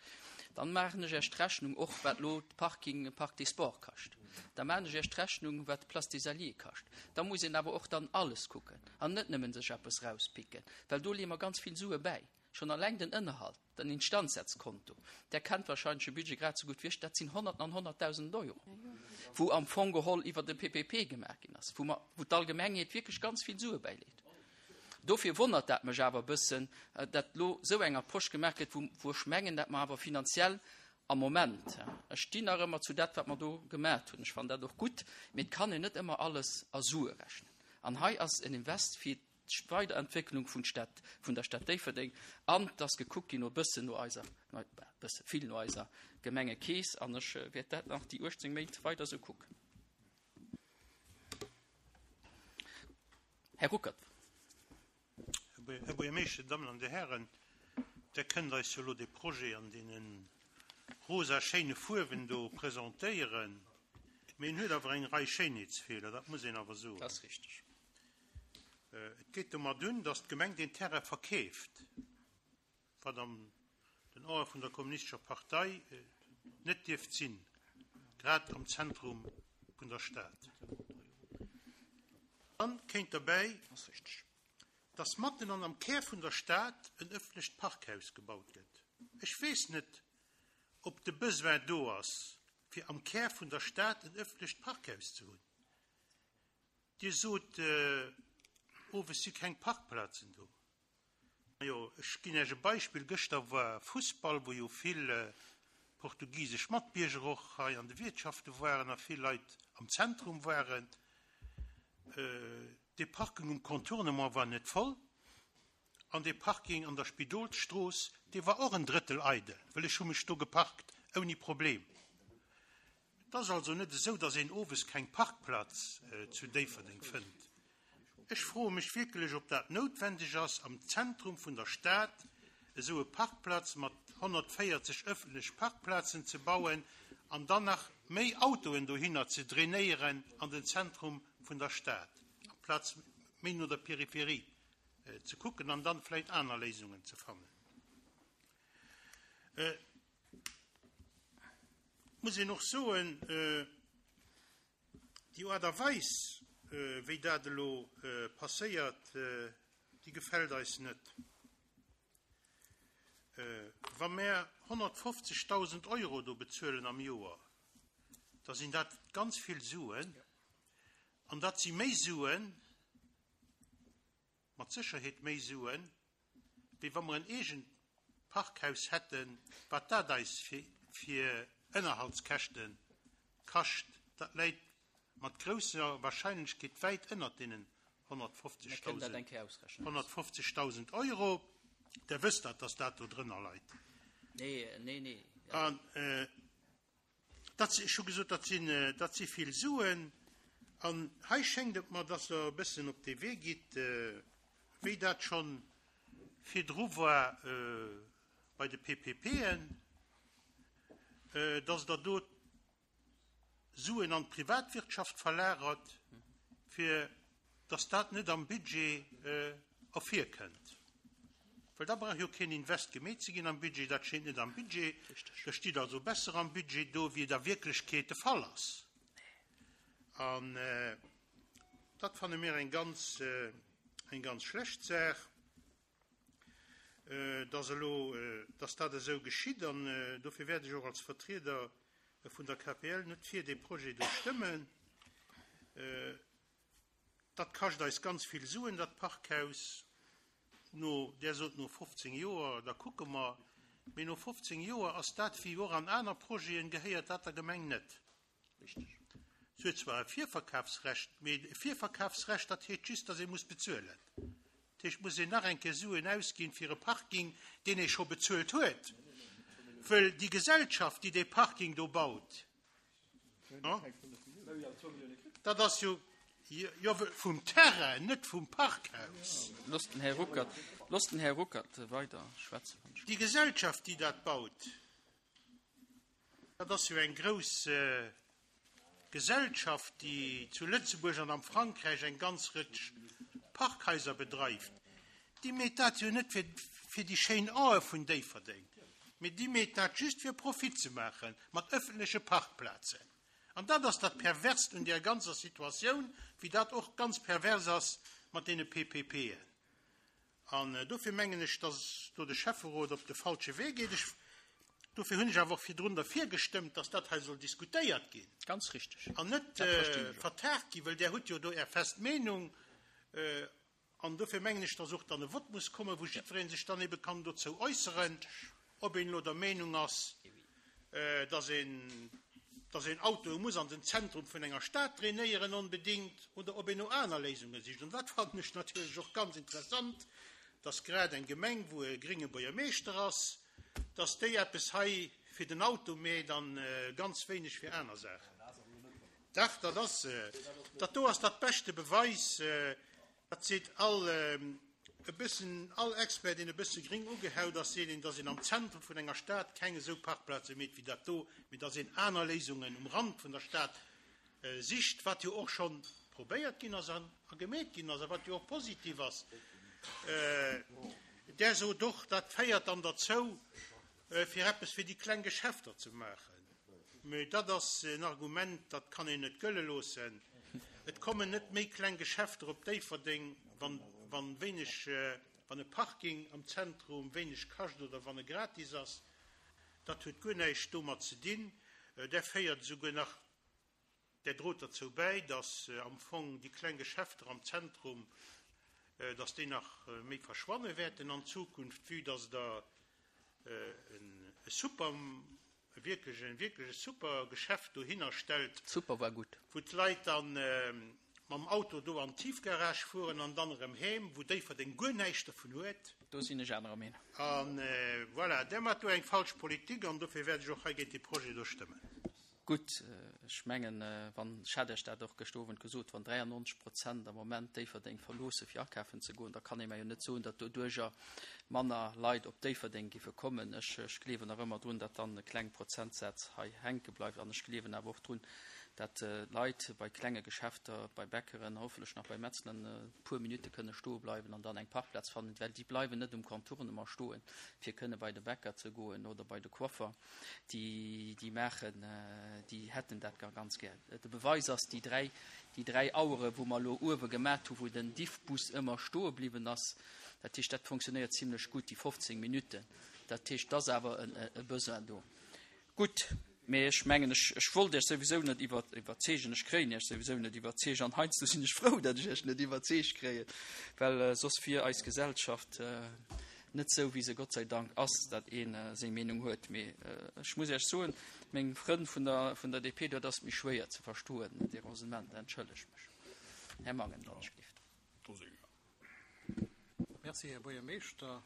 Dann maachen ech Iech d'Rechnung och, wat elo d'Parking Parc des Sports kascht. Da maachen ech Iech d'Rechnung, wat d'Place des Alliés kascht. Da muss een awer och dann alles kucken an net nëmmen sech eppes rauspicken, well do leeë mer ganz vill Sue bäi. Schonn alleng den Ënnerhalt, den Instandsetzkonto, Der kennt wahrscheinlech de Budget grad esou gutt wéi ech, dat sinn Honnerten an Honnertdausenden Euro, wou am Fong geholl iwwer de P P P gemaach ginn ass, wou mer, wou d'Allgemengheet wierklech ganz vill Sue bäileet. Dofir wonnert dat mech awer e bëssen, datt elo esou eng Approche gemaach gëtt, wou, wou ech mengen, datt mer awer finanziell am Moment, ech stinn nach ëmmer zu dat, wat mer do gemaach hunn, ech fannen dat och gutt, mee et kann een net ëmmer alles a Sue rechnen. An hei ass en Invest fir d'Weiderentwécklung vun Stad, vun der Stad Déifferdeng, an et ass gekuckt ginn no e bëssen no eiser, no, e bësse vill no eiser Gemengekeess, an ech wäert dat nach déi uechtzéng Méint weider esou kucken. Här Ruckert. Här Buergermeeschter, Dammen an Dir Hären, Der kënnt eis jo elo dee Projet an deene rosa schéine Fuerwen do presentéieren, mee en huet awer eng Rei Schéinheetsfeeler, dat muss een awer soen. Dat ass richteg. Et geet domat un, datt d'Gemeng deen Terrain verkeeft, wat an den Ae vun der Kommunistescher Partei net dierft sinn, grad am Zentrum vun der Stad. Dann kéint derbäi, datt matten an am Kär vun der Stad en ëffentlecht Parkhaus gebaut gëtt. Ech weess net, ob de Besoin do ass, fir am Kär vun der Stad en ëffentlecht Parkhaus ze hunn. Dir sot, owes si keng Parkplazen do. Majo, ech ginn Iech e Beispill. Gëschter war Fussball, wou jo vill portugisesch Matbierger och hei an de Wiertschafte waren a vill Leit am Zentrum waren. Dee Parking um Contournement war net voll an dee Parking an der Spidolsstrooss, dee war och en Drëttel eidel, well ech hu mech do geparkt ouni Problem. Et ass also net esou, datt een owes keng Parkplaz zu Déifferdeng fënnt. Ech froe mech wierklech, ob dat noutwendeg ass, am Zentrum vun der Stad esou e Parkplatz mat honnertvéierzeg ëffentlech Parkplazen ze bauen an dann nach méi Autoen dohinner ze drainéieren an den Zentrum vun der Stad, amplaz méi no der Peripherie ze kucken an dann vläicht aner Léisungen ze fannen. Et muss een och soen, déi Aart a Weis, wéi dat elo passéiert, déi gefält eis net. Wa mär honnertfofzegdausend Euro do bezuelen am Joer, da sinn dat ganz vill Suen. An dat si méi Suen, mat Sécherheet méi Suen, wéi wa mer en eegent Parkhaus hätten, wat dat eis fir, fir Ënnerhaltskäschte kascht. Dat läit mat grousser Wahrscheinlechkeet wäit ënnert deenen honnertfofzegdausend Euro. Der wësst dat, dass dat do drënner leit. Nee, nee, nee. An, dat, ech hu gesot, dat sinn, dat si vill Suen. An hei schéngt et mer, dass Der e bëssen op dee Wee gitt, wéi dat schonn virdru war bei de P P P'en, dass Der do Suen an d'Privatwirtschaft verlagert, fir dass dat net am Budget ervirkënnt. Well da brauch jo keen Invest gemeet ze ginn am Budget, dat steet net am Budget. Dat steet also besser am Budget do, wéi et a Wierklechkeet de Fall ass. An dat fanne mir eng ganz, eng ganz schlecht Saach, dass elo, dass dat esou geschitt. An dofir wäert ech och als Vertrieder vun der K P L net fir dee Projet do stëmmen. Dat kascht eis ganz vill Suen, dat Parkhaus. No, där sot no fofzéng Joer, da kucke mer. Mee no fofzéng Joer ass dat, wéi och an aner Projeten, gehéiert dat der Gemeng net. Richteg. Se huet zwar e Virverkafsrecht, mee e Virverkafsrecht, dat heescht just, datt ee muss bezuelen. Dat heescht, muss een nach eng Kéier Suen ausginn fir e Parking, deen ee scho bezuelt huet. Well déi Gesellschaft, déi dee Parking do baut, dat ass jo, jo, vum Terrain, net vum Parkhaus. Loosst den Här Ruckert, loosst den Här Ruckert weider schwätzen. Déi Gesellschaft, déi dat baut, dat ass jo eng grouss Gesellschaft, déi zu Lëtzebuerg an am Frankräich eng ganz Rëtsch Parkhaiser bedreift. Déi meet dat jo net fir, fir déi schéin Ae vun Déifferdeng, mee déi meet dat just fir Profit ze maachen mat ëffentleche Parkplazen. An dat ass dat Perverst un där ganzer Situatioun, wéi dat och ganz pervers ass mat deene P P P'en. An dofir mengen ech, dass do de Schäfferot op de falsche Wee geet. Ech, dofir hunn ech awer och virdrun derfir gestëmmt, dass dat hei soll diskutéiert ginn. Ganz richtig. An net, Dat verstinn ech och. vertagt ginn, well där hutt jo do är fest Meenung. An dofir mengen ech, dass och dann e Vott muss kommen, wou jiddwereen sech dann eben kann dozou äusseren, ob een elo der Meenung ass, dass een, dass een Auto muss an den Zentrum vun enger Stad trainéieren onbedingt oder ob een no aner Léisunge sicht. Und dat fand ech natierlech och ganz interessant, dass grad eng Gemeng, wou e gringe Buergermeeschter ass, dass déi eppes hei fir den Auto meet an ganz wéineg fir aner Saachen. Dach, dat ass, dat do ass dat beschte Beweis, dat seet all, e bëssen, all Expert, deen e bësse gring ugehaut ass, seet een, dass een am Zentrum vun enger Stad keng esou Parkplaze meet wéi dat do, mee dass een aner Léisungen um Rand vun der Stad sicht, wat jo och schon probéiert ginn ass an a gemeet ginn ass, a wat jo och positiv ass. Der sot doch, dat féiert dann derzou, fir eppes fir déi kleng Geschäfter ze maachen. Mee dat ass en Argument, dat kann een net gëlle loossen. Et kommen net méi kleng Geschäfter op Déifferdeng, wann, wann wéineg, wann e Parking am Zentrum wéineg kascht oder wann e gratis ass. Dat huet guer näischt domat ze dinn. Der féiert esouguer nach, der droht derzou bäi, dass am Fong déi kleng Geschäfter am Zentrum, dass déi nach méi verschwanne wäerten an Zukunft, vue dass der en super, wierklech en wierklech super Geschäft dohinner stellt. Super war gutt. Wou d'Leit dann mam Auto do an d'Tiefgarage fueren an dann erëm heem, wou Déifferdeng guer näischt dervun huet. Do sinn ech anerer Meenung. An voilà, der mat do eng falsch Politik an dofir wäert ech och hei géint de Projet do stëmmen. Gutt, ech mengen, wann, ech hat Iech dat och gëschter Owend gesot, wann dräiundneunzeg Prozent am Moment Déifferdeng verloosse fir akafen ze goen, da kann ee mir jo net soen, datt doduercher manner Leit op Déifferdeng giffe kommen. Ech, ech gleewen nach ëmmer drun, datt dann e kleng Prozentsatz hei hänke bleift an ech gleewen awer och drun, datt Leit bei klenge Geschäfter, bei Bäckeren, hoffentlich nach bei Metzlern, e puer Minute kënne stoe bleiwen an dann eng Parkplatz fannen, well déi bleiwen net um Contournement stoen, fir kënne bei de Bäcker ze goen oder bei de Coiffer. Déi, déi maachen, déi hätten dat gar ganz gär. De Beweis ass déi dräi, déi dräi Auere, wou mer lo uewe gemat hu, wou den Diffbus ëmmer stoe bliwwen ass. Dat heescht, dat funktionéiert zimmlech gutt, déi fofzéng Minuten. Dat heescht, das awer en, e Besoin do. Gutt, mee ech mengen, ech, ech wollt Iech souwisou net iwwer-, iwwerzeegen, ech kréien Iech souwisou net iwwerzeegen, an heiansdo sinn ech frou, datt ech Iech net iwwerzeegt kréien, well, äh, soss wier eis Gesellschaft, äh, net sou, wéi se Gott sei Dank ass, datt een, äh, seng Meenung huet. Mee, äh, ech muss Iech soen, meng Frënn vun der, vun der D P, do ass méi schwéier ze verstoen, de Raisonnement, entschëllegt mech. Här Mangen, wann ech gelift. Merci, Här Buergermeeschter.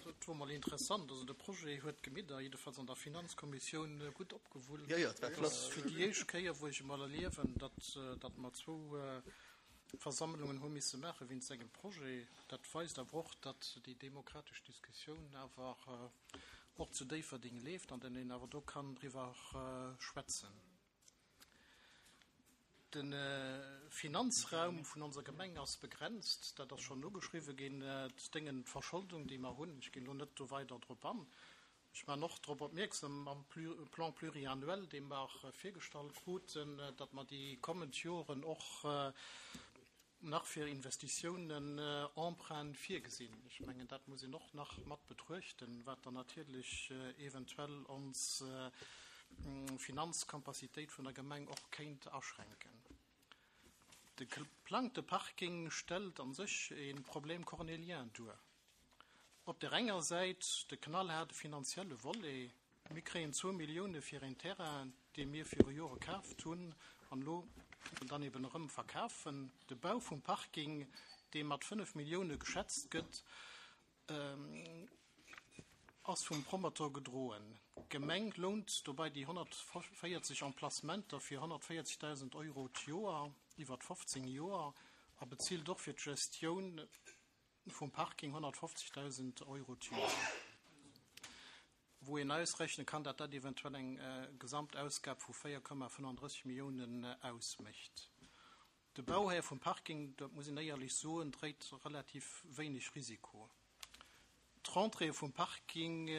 Dat war mal interessant. Also de Projet huet d'Gemidder jedenfalls an der Finanzkommissioun gutt opgewullt. Ja, ja, dat war Dat flott. ass fir déi éischt Kéier, wou ech emol erliewen, datt, datt mer zwou, äh, Versammlungen hu misse maache wéinst engem Projet. Dat weist awer och, datt déi demokratesch Diskussioun awer, äh, och zu Déifferdeng leeft an den een awer do kann driwwer, äh, schwätzen. De Finanzraum vun onser Gemeng ass begrenzt, dat ass schonn ugeschriwwe ginn, d'Déngen, d'Verscholdung, déi mer hunn. Ech ginn elo net do weider drop an. Ech maachen och drop opmierksam am Plan pluriannuel, dee mer virgestallt kruten, datt mer déi kommend Joren och nach fir Investitiounen Emprunte virgesinn. Ech mengen, dat muss een och nach mat betruechten, wat dann natierlech eventuell ons Finanzcapacitéit vun der Gemeng och kéint aschränken. De geplangte Parking stellt an sech e Problem cornélien duer. Op der enger Säit de knallhaarde finanzielle Volet, Mir kréien zwou Millioune fir een Terrain, dee mir viru Jore kaaft hunn an elo dann eben erëm verkafen. De Bau vum Parking, dee mat fënnef Millioune geschätzt gëtt, ass vum Promoteur gedroen. D'Gemeng lount dobäi déi honnertvéierzeg Emplacementer fir honnertvéierzegdausend Euro d'Joer iwwert fofzéng Joer a bezilt och fir d'Gestioun vum Parking honnertfofzegdausend Euro d'Joer, wou een ausrechne kann, datt dat eventuell eng Gesamtausgab vu véier Komma fënnenddrësseg Milliounen ausmécht. De Bauhär vum Parking, dat muss een éierlech soen, dréit relativ wéineg Risiko. D'Rentrée vum Parking,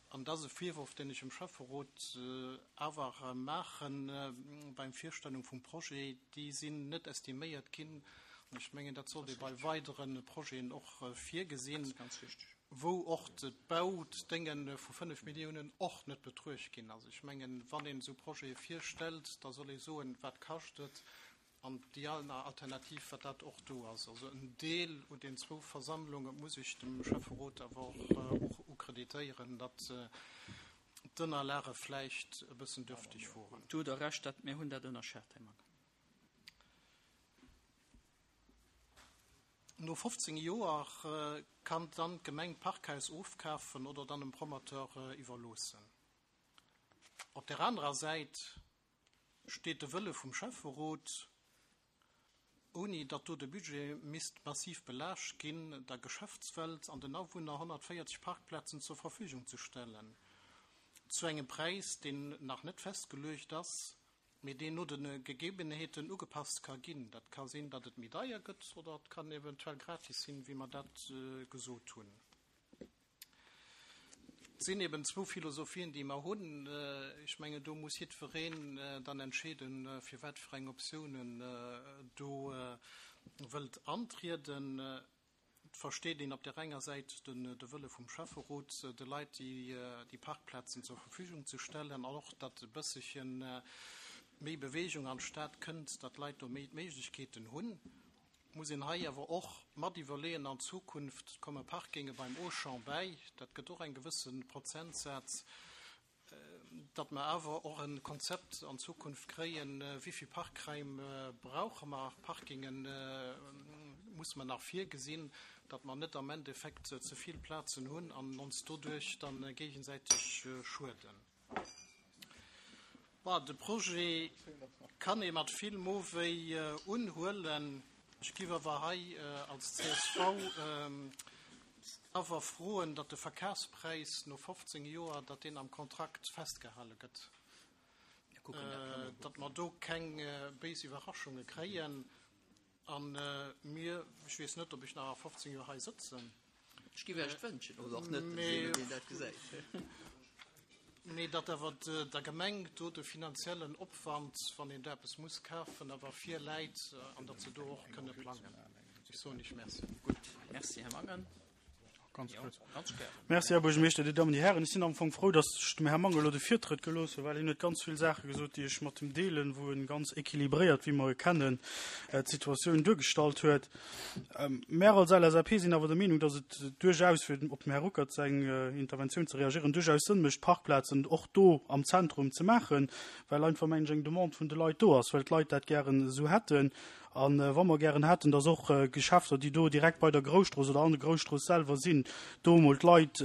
an dat ass e Virworf, deen ech dem Schäfferot awer maache beim Virstellung vum Projet, déi sinn net estiméiert ginn. An ech mengen, dat sollt ee bei weidere Projeten och virgesinn, wou och d'Baudénge vu fënnef Milliounen och net betruecht ginn. Also ech mengen, wann een esou Projete virstellt, da soll ee soen, wat kascht et, an déi aner Alternativ, wat dat och do ass. Also en Deel un den zwou Versammlunge muss ech dem Schäfferot awer och ukreditéieren, datt d'Ënnerlage vläicht e bëssen dürftig woren. Do hutt Der Recht, dat, mir hunn dat ënnerschat, Här Mangen. No fofzéng Joer kann dann d'Gemeng d'Parkhaus ofkafen oder dann dem Promoteur iwwerloossen. Op där anerer Säit steet de Wëlle vum Schäfferot, ouni datt do de Budget misst massiv belaascht ginn, der Geschäftswelt an den Awunner honnertvéierzeg Parkplazen zur Verfügung ze stellen, zu engem Präis, deen nach net festgeluecht ass, mee deen no de Gegebenheeten ugepasst ka ginn. Dat ka sinn, datt et méi deier gëtt oder et kann eventuell gratis sinn, wéi mer dat gesot hunn. Et sinn eben zwou Philosophien, déi mer hunn. Ech mengen, do muss jiddwereen dann entscheeden, fir wat fir eng Optioun en do wëllt antrieden. Et versteet een op där enger Säit de Wëlle vum Schäfferot, de Leit déi Parkplazen zur Verfügung ze stellen an och, datt e bësselche méi Bewegung an d'Stad kënnt, datt d'Leit do méi d'Méiglechkeeten hunn. Et muss een hei awer och mat iwwerleeën, an Zukunft komme Parkinge beim Auchan bäi, dat gëtt och eng gewësse Prozentsaz, datt mer awer och e Konzept an Zukunft kréien, wéi vill Parkraim brauche mer, Parkinge musse mer nach virgesinn, datt mer net am Endeffekt ze vill Plazen hunn an ons doduerch da géigesäiteg schueden. Bon, de Projet kann ee mat vill Mowéi unhuelen. Ech géif awer hei als csv awer froen, datt de Verkafspräis no fofzéng Joer, datt deen am Kontrakt festgehale gëtt, datt mer do keng béis Iwwerraschunge kréien. A mir, ech weess net, ob ech nach a fofzéng Joer hei sëtzen. Ech géif Iech et wënschen, oder och net, wéi een dat gesäit. Mee datt awer der Gemeng do de finanziellen Opwand, wann een do eppes muss kafen, awer virläit an datt se do och kënne plangen. Ech soen Iech Merci. Gutt, Merci, Här Mangen. Ganz kuerz. Merci, Här Buergermeeschter, Dir Dammen, Dir Hären. Ech sinn am Fong frou, datt ech dem Här Mangen elo de Virtrëtt gelooss hunn, well hien huet ganz vill Saache gesot, déi ech mat him deelen, wou en ganz équilibréiert, wéi mer e kennen, d'Situatioun duergestallt huet. Mär als L S A P sinn awer der Meenung, datt et duerchaus, fir op dem Här Ruckert seng Interventioun ze reagieren, duerchaus Sënn mécht, Parkplazen och do am Zentrum ze maachen, well einfach, mengen ech, eng Demande vun de Leit do ass, well d'Leit dat gären esou hätten. A wa mer gären hätten, datt och Geschäfter, déi do direkt bei der Grousstrooss oder an der Grousstrooss selwer sinn, do emol d'Leit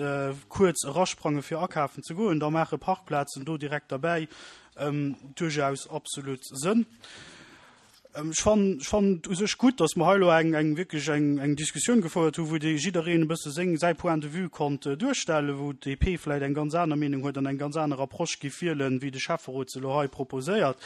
kuerz erasprange fir akafen ze goen, da maache Parkplazen do direkt derbäi duerchaus absolut Sënn. Ech fannen, ech fannen et u sech gutt, datt mer hei elo eng, eng wierklech eng, eng Diskussioun gefouert hu wou dee jiddereen e bësse seng, säi Point de vue konnt duerstellen, wou d'D P vläicht eng ganz aner Meenung huet an eng ganz aner Approche giff wielen, wéi de Schäfferot se elo hei proposéiert.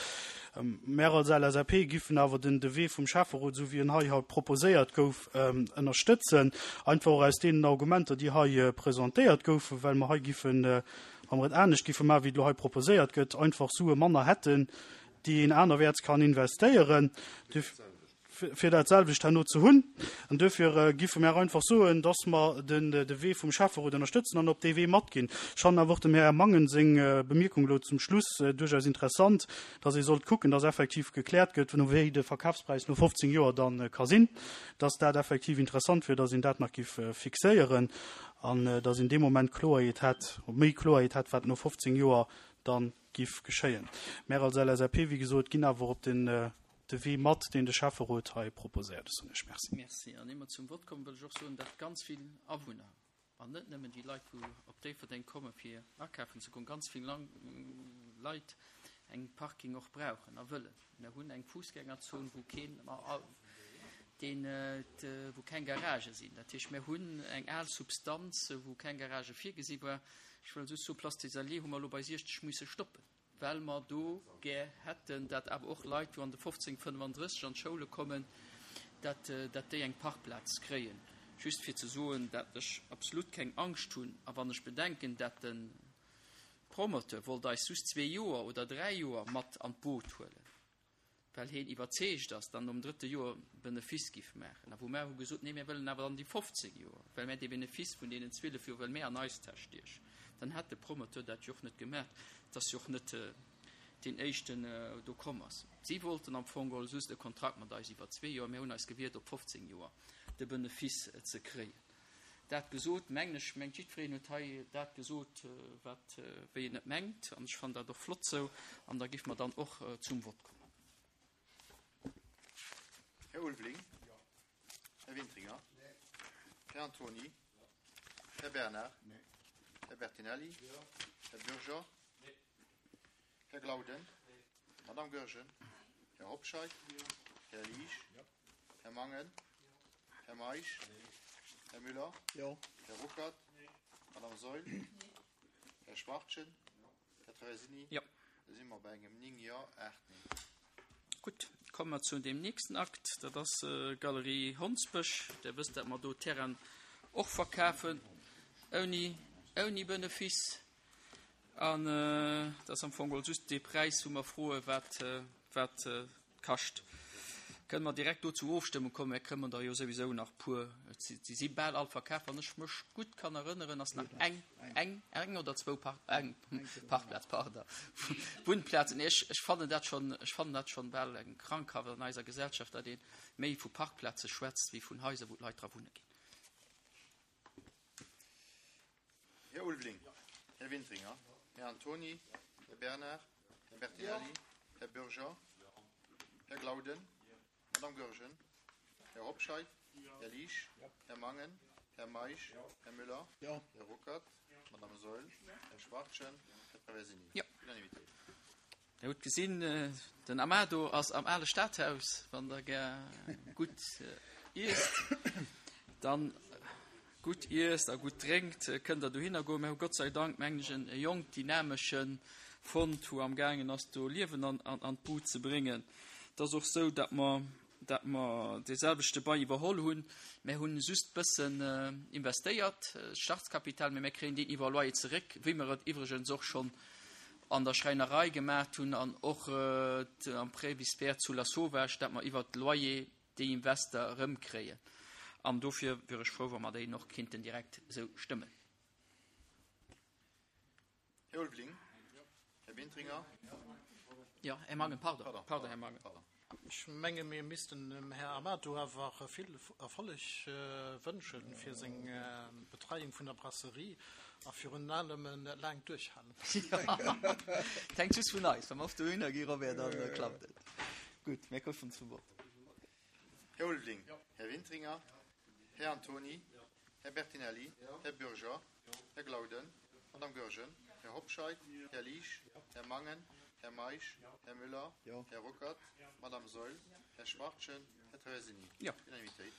Mär als LSAP giffen awer den de Wee vum Schäfferot, esou wéi en hei haut proposéiert gouf, ënnerstëtzen, einfach och aus deenen Argumenter, déi hei presentéiert goufen, well mer hei giffen, wa mer et anescht giffe maachen, wéi et elo hei proposéiert gëtt, einfach Sue manner hätten, déi een anerwäerts kann investéieren, fir dat selwecht herno ze hunn. An duerfir giffe mär einfach soen, dass mer den de Wee vum Schäfferot ënnerstëtzen an op dee Wee matginn. Ech fannen awer och dem Här Mangen seng Bemierkung elo zum Schluss duerchaus interessant, dass ee sollt kucken, dass effektiv gekläert gëtt, wéi de Verkafspräis no fofzéng Joer da ka sinn, dass dat effektiv interessant wier, dass een dat nach giff fixéieren an dass een dee Moment Kloerheet hätt, méi Kloerheet hätt, wat no fofzéng Joer da giff geschéien. Mär als LSAP, wéi gesot, ginn awer op den de Wee mat, deen de Schäfferot hei proposéiert. Ech soen Iech Merci. Merci. An ier mer zum Vott kommen, wëll ech och soen, datt ganz vill Awunner, an net nëmmen déi Leit, wou op Déifferdeng komme fir akafen ze goen, ganz vill Leit eng Parking och brauchen a wëllen. Mir hunn eng Fussgängerzon, wou keen, deen, wou keng Garagë sinn. Dat heescht, mir hunn eng al Substanz, wou keng Garage virgesi war. Ech wëll just soen, Place des Alliés hu mer elo bei siechzeg musse stoppen, well mer do gär hätten, dat awer och Leit, wou an de fofzéng fënnefandrësseg an d'Schoule kommen, dat, dat déi eng Parkplaz kréien. Just fir ze soen, dat ech absolut keng Angscht hunn. A wann ech bedenken, dat de Promoteur wollt eis just zwee Joer oder dräi Joer mat an d'Boot huelen, well heen iwwerzeegt ass, dann nom drëtte Joer Benefiss giff maachen. A wou mär hu gesot, nee, mär wëllen awer dann déi fofzéng Joer, well mär dee Benefiss vun deenen zwielef Joer wëlle mär an eis Täsch stiechen. Dann hätt de Promoteur dat jo och net gemaach. Et ass jo och net deen éischten do komm ass. Si wollten am Fong geholl just e Kontrakt mat eis iwwer zwee Joer. Mär hunn eis gewiert, op fofzéng Joer de Benefiss ze kréien. Dat gesot, mengen ech, mengt jiddwereen huet hei dat gesot, wat, wéi en et mengt. An ech fannen dat och flott sou. An da giffe mer dann och zum Vott kommen. Här Ulveling. Här Wintringer. Här Antony. Här Bernard. Här Bertinelli. Här Bürger. Här Glauden. Madame Goergen. Här Hobscheit. Här Liesch. Här Mangen. Här Meisch. Här Müller. Här Ruckert. Madame Saeul. Här Schwachtgen. Här Traversini. Da si mer bei engem néng Jo, aacht Neen. Gutt, komme mer zu deem nächsten Akt, dat ass d'Galerie Hondsbësch. Der wësst, dat mer do Terrainen och verkafen ouni, ouni Benefiss. An dat ass am Fong geholl just dee Präis, wou mer froen, wat, wat kascht. Kënne mer direkt do zur Ofstëmmung kommen? Mir kréien der jo souwisou nach puer. Et si, si si bal all verkaf. Wann ech mech gutt kann erënneren, ass nach eng, eng, eng oder zwou Park, eng Parkplaz, pardon, Wunnplazen. Nee, ech, ech fannen dat schonn, ech fannen dat schonn bal eng Krankhaft an eiser Gesellschaft, datt ee méi vu Parkplaze schwätzt wéi vun Haiser, wou d'Leit dra wunne ginn. Här Ulveling, Här Wintringer, Här Antony, Här Bernard, Här Bertinelli, Här Bürger, Här Glauden, Madame Goergen, Här Hobscheit, Här Liesch, Här Mangen, Här Meisch, Här Müller, Här Ruckert, Madame Saeul, Här Schwachtgen, Här Traversini. Unanimitéit. Der hutt gesinn, den Amado ass am ale Stadhaus. Wann Der gär gutt iesst, dann gutt iesst a gutt drénkt, kënnt Der dohinner goen. Mir hu Gott sei Dank, mengen ech, en jonk, dynamesche fonnt, wou amgaangen ass, do Liewen an d'Bud ze bréngen. Et ass och sou, datt mer, datt mer dee selwechte Bail iwwerholl hunn. Mir hunn just bëssen investéiert, Startkapital, mä mir kréien deen iwwer Loyer zeréck, wéi mer et iwwregens och schonn an der Schräinerei gemaacht hunn an och am Presbytère zu Lasauvage, datt mer iwwert Loyer déi Invester erëmkréien. An dofir wier ech frou, wa mer déi och kinnten direkt esou stëmmen. Här Ulveling. Här Wintringer. Jo, Här Mangen, pardon. Pardon, Här Mangen. Ech menge mir missten dem Här Amato awer vill Erfolleg wënsche fir seng Betreiung vun der Brasserie a virun allem e laangt Duerchhalen. Et hänkt just vun eis. Wa mer oft dohinner gi, Robert, da klappt et. Gutt, mir kommen zum Vott. Här Ulveling. Här Wintringer. Här Antony. Här Bertinelli. Här Bürger. Här Glauden. Madame Goergen. Här Hobscheit. Här Liesch. Här Mangen. Här Meisch. Här Müller. Här Ruckert. Madame Saeul. Här Schwachtgen. Här Traversini. Jo. Unanimitéit.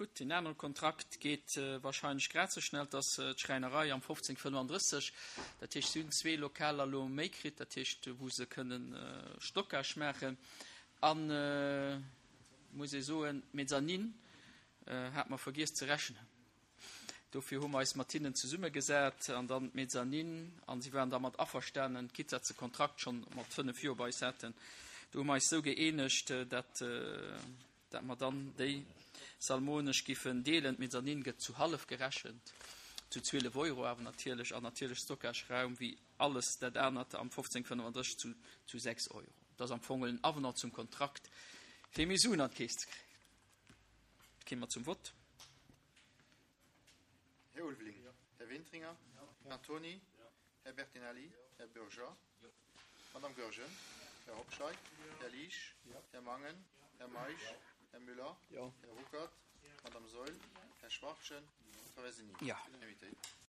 Gutt, deen anere Kontrakt geet wahrscheinlech grad esou schnell, dat ass d'Schräinerei am fofzéng fënnefandrësseg. Dat heescht, si hunn zwee Lokaler elo méi kritt, dat heescht, wou se kënnen Stockage maachen. An, muss ee soen, d'Mezzanine hat mer vergiess ze rechnen. Dofir hu mer eis mat hinnen zesummegesat an dann d'Mezzanine, an si waren dermat averstanen, quitte dat se Kontrakt schonn mat fënnef Joer bei eis haten. Do hu mer eis esou gëeenegt, dat, dat mer dann déi Salmonesch giffen deelen. D'Mezzanine gëtt zu hallef gerechent, zu zwielef Euro awer natierlech, an natierlech Stockageraum wéi alles dat anert am fofzéng fënnefandrësseg zu, zu sechs Euro. Dat ass am Fong en Avenant zum Kontrakt, fir méi Suen an d'Keess ze kréien. Kéime mer zum Vott. Här Ulveling. Här Wintringer. Här Antoni. Här Bertinelli. Här Bürger. Madame Goergen. Här Hobscheit. Här Liesch. Här Mangen. Här Meisch. Här Müller. Här Ruckert. Madame Saeul. Här Schwachtgen. Traversini. Ja. Unanimitéit.